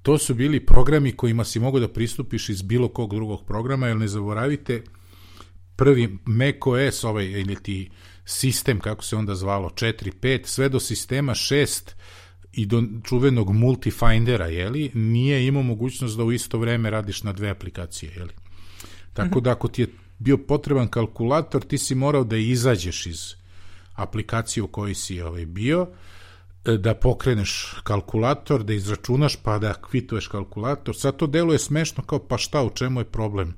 To su bili programi kojima si mogu da pristupiš iz bilo kog drugog programa, jer ne zaboravite, prvi macOS, ovaj, ili ti sistem, kako se onda zvalo, četiri pet, sve do sistema šest i do čuvenog multifindera, jeli, nije imao mogućnost da u isto vreme radiš na dve aplikacije, jeli. Tako da ako ti je bio potreban kalkulator, ti si morao da izađeš iz aplikacije u kojoj si ovaj, bio, da pokreneš kalkulator, da izračunaš, pa da kvituješ kalkulator. Sad to deluje smešno kao, pa šta, u čemu je problem?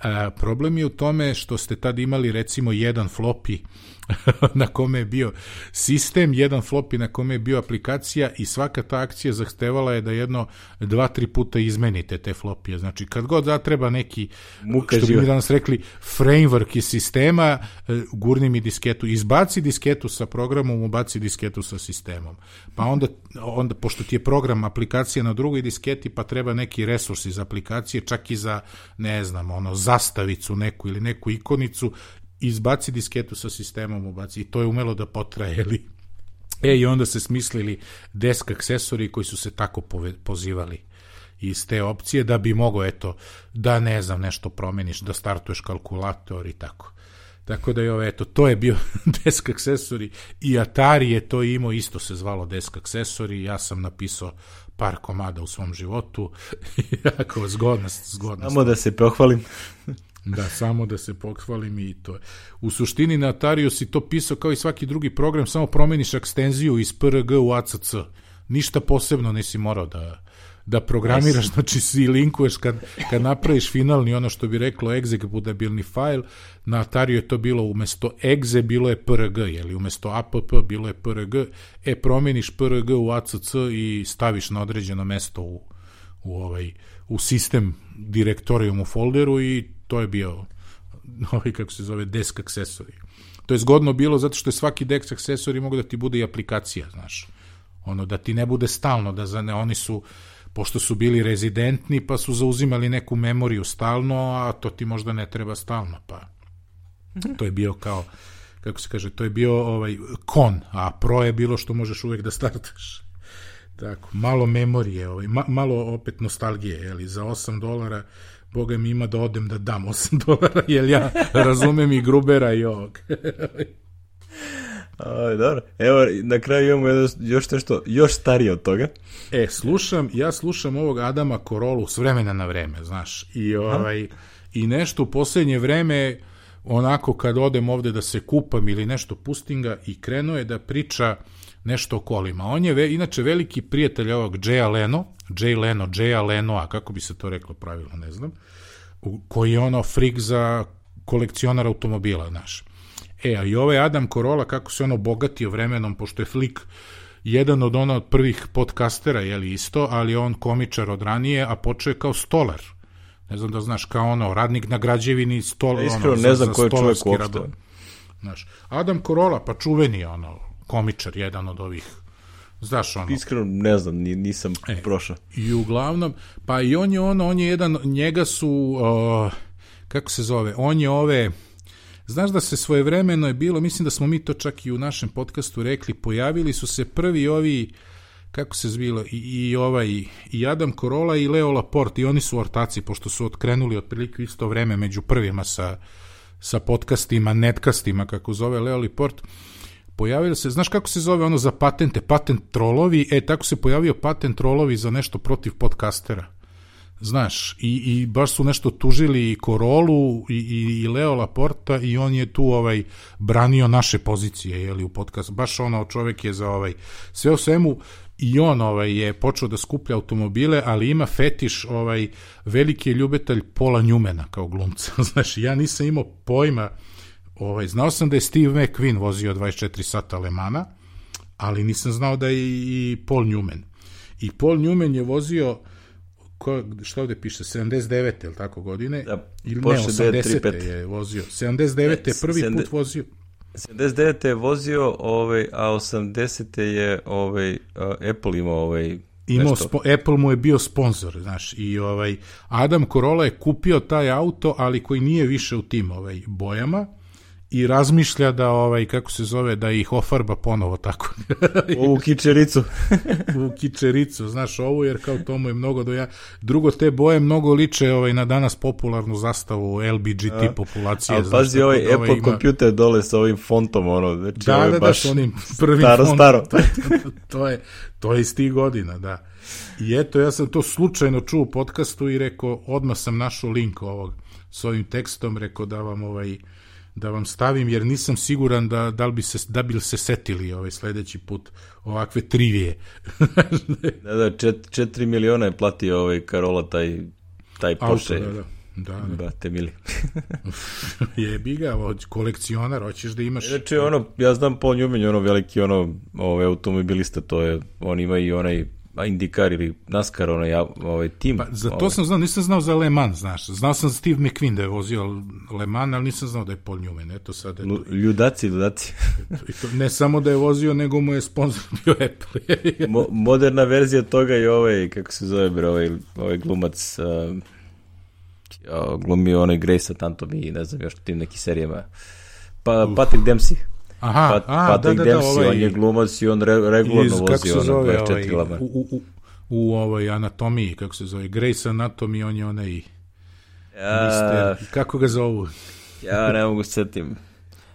A, problem je u tome što ste tad imali recimo jedan floppy na kome je bio sistem, jedan floppy na kome je bio aplikacija i svaka ta akcija zahtevala je da jedno dva, tri puta izmenite te flopije. Znači, kad god zatreba neki, Muka što bi živa. mi danas rekli, framework iz sistema, gurni mi disketu, izbaci disketu sa programom, ubaci disketu sa sistemom. Pa onda, onda pošto ti je program aplikacija na drugoj disketi, pa treba neki resurs iz aplikacije, čak i za, ne znam, ono, zastavicu neku ili neku ikonicu, izbaci disketu sa sistemom, ubaci, i to je umelo da potraje, ili... E, i onda se smislili desk aksesori koji su se tako pove, pozivali iz te opcije, da bi mogo, eto, da ne znam, nešto promeniš, da startuješ kalkulator i tako. Tako da je ovo, eto, to je bio desk aksesori i Atari je to imao, isto se zvalo desk aksesori, ja sam napisao par komada u svom životu, jako zgodnost, zgodnost. Samo da se pohvalim. Da, samo da se pohvalim i to je. U suštini na Atariju si to pisao kao i svaki drugi program, samo promeniš ekstenziju iz P R G u A C C. Ništa posebno nisi morao da, da programiraš, znači si linkuješ kad, kad napraviš finalni, ono što bi reklo executabilni file, na Atariju je to bilo umesto exe, bilo je P R G, jeli, umesto app, bilo je P R G, e, promeniš P R G u A C C i staviš na određeno mesto u, u, ovaj, u sistem direktorijum u folderu i to je bio, ovaj, kako se zove, desk aksesori. To je zgodno bilo zato što je svaki desk aksesori mogu da ti bude i aplikacija, znaš. Ono, da ti ne bude stalno, da za ne, oni su, pošto su bili rezidentni, pa su zauzimali neku memoriju stalno, a to ti možda ne treba stalno, pa to je bio kao, kako se kaže, to je bio ovaj kon, a pro je bilo što možeš uvek da startaš. Tako, malo memorije, ovaj, ma, malo opet nostalgije, jeli, za osam dolara Boga mi ima da odem da dam osam dolara, jer ja razumem i Grubera i ovog. Aj, dobro. Evo, na kraju imamo još nešto, još starije od toga. E, slušam, ja slušam ovog Adama Korolu s vremena na vreme, znaš, i, ovaj, i nešto u posljednje vreme, onako kad odem ovde da se kupam ili nešto pustim ga, i krenuo je da priča nešto o kolima. On je ve, inače veliki prijatelj ovog Jaya Leno, Jay Leno, Jaya Lenoa, kako bi se to reklo pravilno, ne znam, koji je ono frik za kolekcionar automobila, znaš. E, a i ovaj Adam Carolla, kako se ono bogatio vremenom, pošto je flik jedan od ona od prvih podcastera, jeli isto, ali on komičar od ranije, a počeo je kao stolar. Ne znam da znaš, kao ono, radnik na građevini, stol, ja, iskreno, ono, ne za, znam za ko je čovjek stolarski rad. Znaš, Adam Carolla, pa čuveni, ono, komičar, jedan od ovih, znaš, ono. Iskreno, ne znam, nisam e, prošao. I uglavnom, pa i on je ono, on je jedan, njega su, uh, kako se zove, on je ove, znaš da se svojevremeno je bilo, mislim da smo mi to čak i u našem podcastu rekli, pojavili su se prvi ovi, kako se zvilo, i, i ovaj, i Adam Carolla i Leo Laporte, i oni su ortaci, pošto su otkrenuli otprilike isto vreme među prvima sa, sa podcastima, netkastima, kako zove Leo Laporte. Pojavili se, znaš kako se zove ono za patente, patent trolovi, e, tako se pojavio patent trolovi za nešto protiv podcastera. Znaš, i, i baš su nešto tužili i Corollu i, i, i Leo Laporta, i on je tu ovaj branio naše pozicije, jeli, u podcastu. Baš ono, čovjek je za ovaj, sve o svemu, i on ovaj je počeo da skuplja automobile, ali ima fetiš, ovaj, veliki je ljubitelj Paula Newmana kao glumca. Znaš, ja nisam imao pojma. Ovaj, znao sam da je Steve McQueen vozio dvadeset četiri sata Le Mana, ali nisam znao da je i Paul Newman. I Paul Newman je vozio, ko, šta ovde piše, sedamdeset devete, ili tako godine? Da, ili ne, osamdesete je vozio. sedamdeset devete je prvi put vozio. sedamdeset devete je vozio, ovaj, a osamdesete je ovaj, Apple imao ovaj, Imao spo, Apple mu je bio sponsor, znaš, i ovaj, Adam Carolla je kupio taj auto, ali koji nije više u tim ovaj, bojama, i razmišlja da, ovaj, kako se zove, da ih ofarba ponovo tako. U kičericu. U kičericu, znaš, ovu, jer kao tomu je mnogo doja... Drugo, te boje mnogo liče ovaj, na danas popularnu zastavu L B G T a, populacije. Ali pazi, ovaj Apple ovaj kompjuter ima... dole sa ovim fontom, ono, znači, da, ovaj da, baš da, onim prvim staro, fontom. staro. to, je, to je iz tih godina, da. I eto, ja sam to slučajno čuo u podcastu i rekao, odmah sam našao link ovog s ovim tekstom, rekao da vam ovaj da vam stavim, jer nisam siguran da, da, li bi se, da bi se setili ovaj sledeći put ovakve trivije. da, da, čet, četiri miliona je platio ovaj Carolla taj, taj Porsche. Auto, da, da. Da, da. Brate mili. Jebi ga, kolekcionar, hoćeš da imaš... Znači, ono, ja znam Paul Newman, ono veliki, ono, ovaj automobilista, to je, on ima i onaj IndyCar ili NASCAR, onaj, ovaj tim. Pa, za to ovaj. sam znao, nisam znao za Le Mans, znaš. Znao sam Steve McQueen da je vozio Le Mans, ali nisam znao da je Paul Newman, eto sad. Eto. Ljudaci, ljudaci. To, ne samo da je vozio, nego mu je sponsor bio Apple. Mo, moderna verzija toga je ovaj, kako se zove, bre, ovaj, ovaj glumac, uh, glumio onaj Grace Anatomy i ne znam još tim neki serijama. Pa, uh. Patrick Dempsey. Aha, Pat, a, Patrick da, da, da, Dempsey, ovaj, on je glumac i on re, regularno vozi ono dvadeset četiri ovaj, u, u, u ovoj anatomiji, kako se zove, Grace Anatomy, on je onaj ja, mister, kako ga zovu? Ja ne mogu setim.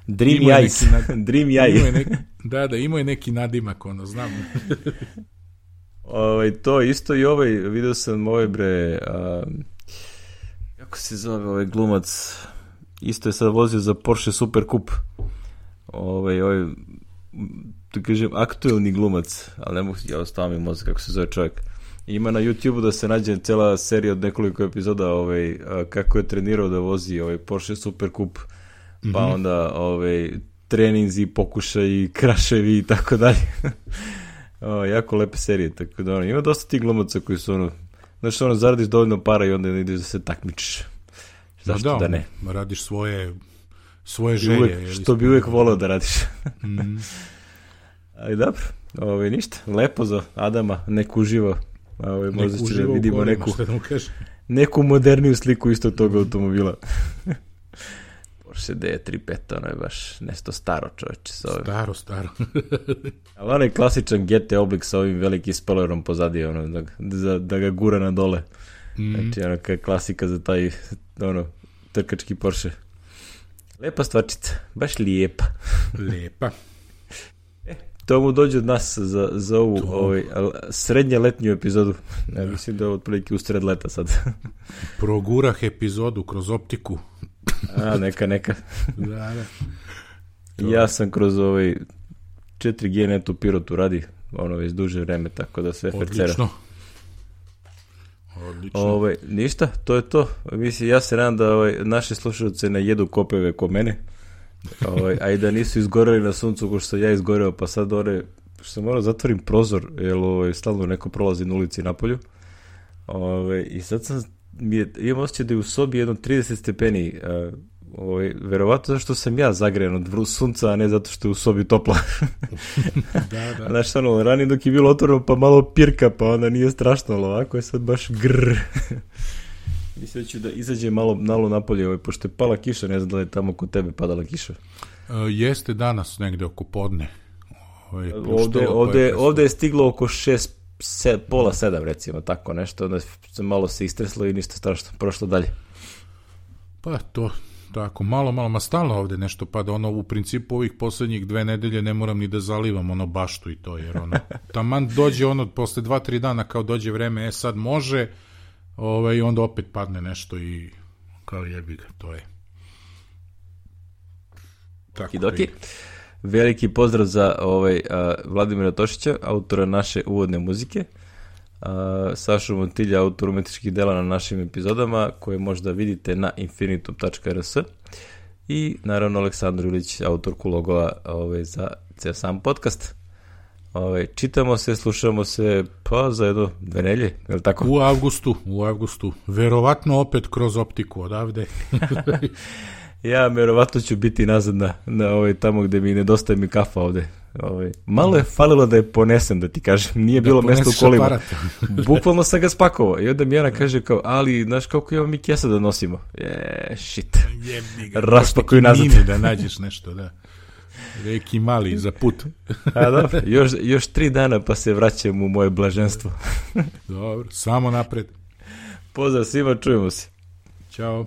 Dreamy Eyes. Dreamy Eyes. Da, da, imao je neki nadimak, ono, znam. Ovaj, to isto i ovaj, vidio sam ovaj bre, um, kako se zove ovaj glumac, isto je sad vozio za Porsche Super Cup. Ovaj, ovaj, da kažem, aktuelni glumac, ali ne mogu, ja ostavim mi mozak kako se zove čovjek. Ima na YouTubeu da se nađe cela serija od nekoliko epizoda ovaj, kako je trenirao da vozi ovaj Porsche Super Cup, mm-hmm. pa onda ovaj, treninzi, pokušaji, kraševi i tako dalje. O, jako lepe serije, tako da ono, ima dosta tih glumaca koji su ono, znaš ono, zaradiš dovoljno para i onda ideš da se takmičiš. Zašto da, da ne? Radiš svoje svoje želje. Uvek, što bi uvek volao da radiš. Mm. Ali dobro, ovaj, ništa, lepo za Adama, nek uživa. Ovaj, možda će da vidimo kolima, neku, da neku moderniju sliku isto tog automobila. Porsche D tri pet, ono je baš nešto staro čoveče. Staro, staro. Ali onaj klasičan G T oblik sa ovim velikim spoilerom pozadi, ono, da, da, da ga gura na dole. Mm. Znači, ono, kao klasika za taj, ono, trkački Porsche. Lepa stvarčica, baš lijepa. Lijepa. E, to mu dođe od nas za, za ovu ovaj, srednje letnju epizodu. Ja da. Mislim da je otprilike u sred leta sad. Progurah epizodu kroz optiku. A, neka, neka. Da, da. Ja sam kroz ovaj četiri G net u Pirotu radi, ono već duže vreme, tako da sve fercera. Odlično. Odlično. Ovaj, ništa, to je to. Mislim, ja se nadam da ovaj, naše slušalce ne jedu kopeve ko mene, ovaj, a i da nisu izgoreli na suncu ko što sam ja izgoreo, pa sad ore, što sam morao zatvorim prozor, jer ovaj, stalno neko prolazi na ulici napolju. Ovaj, I sad sam, mi je, imam osjećaj da je u sobi jedno trideset stepeni, uh, ovaj, verovatno zašto sam ja zagrejan od sunca, a ne zato što je u sobi toplo. Da, da. Znaš, ono, ranije dok je bilo otvoreno, pa malo pirka, pa onda nije strašno, ali ovako je sad baš grrr. Mislim da ću da izađe malo, malo napolje, ovaj, pošto je pala kiša, ne znam da li je tamo kod tebe padala kiša. Uh, jeste danas negde oko podne. Ovaj, ovde, ovde, je ovde je stiglo oko šest, se, pola sedam, recimo, tako nešto, onda se malo se istreslo i ništa strašno, prošlo dalje. Pa to... Tako, malo, malo, ma stalno ovde nešto pada, ono, u principu ovih poslednjih dve nedelje ne moram ni da zalivam, ono, baštu i to, jer ono, taman dođe ono, posle dva, tri dana kao dođe vreme, e sad može, ovaj, i onda opet padne nešto i kao jebi ga, to je. Tako I doki. Veliki pozdrav za ovaj, a, Vladimira Tošića, autora naše uvodne muzike, a, Sašu Montilja, autor umetničkih dela na našim epizodama, koje možda vidite na infinitum tačka r s, i naravno Aleksandar Ilić, autorku logova ovaj, za ceo sam podcast. Ovaj, čitamo se, slušamo se pa za jedno dve nelje, je li tako? U avgustu, u avgustu, verovatno opet kroz optiku odavde. Ja verovatno ću biti nazad na, na ovaj, tamo gde mi nedostaje mi kafa ovde. Ovaj, malo je falilo da je ponesem, da ti kažem, nije da bilo mesta u kolima. Bukvalno sam ga spakovao i onda mi Jana kaže kao, ali znaš kako imamo mi kesa da nosimo? Je, shit. Raspakuju nazad. Mini da nađeš nešto, da. Reki mali za put. A dobro, još, još tri dana pa se vraćam u moje blaženstvo. Dobro, samo napred. Pozdrav svima, čujemo se. Ćao.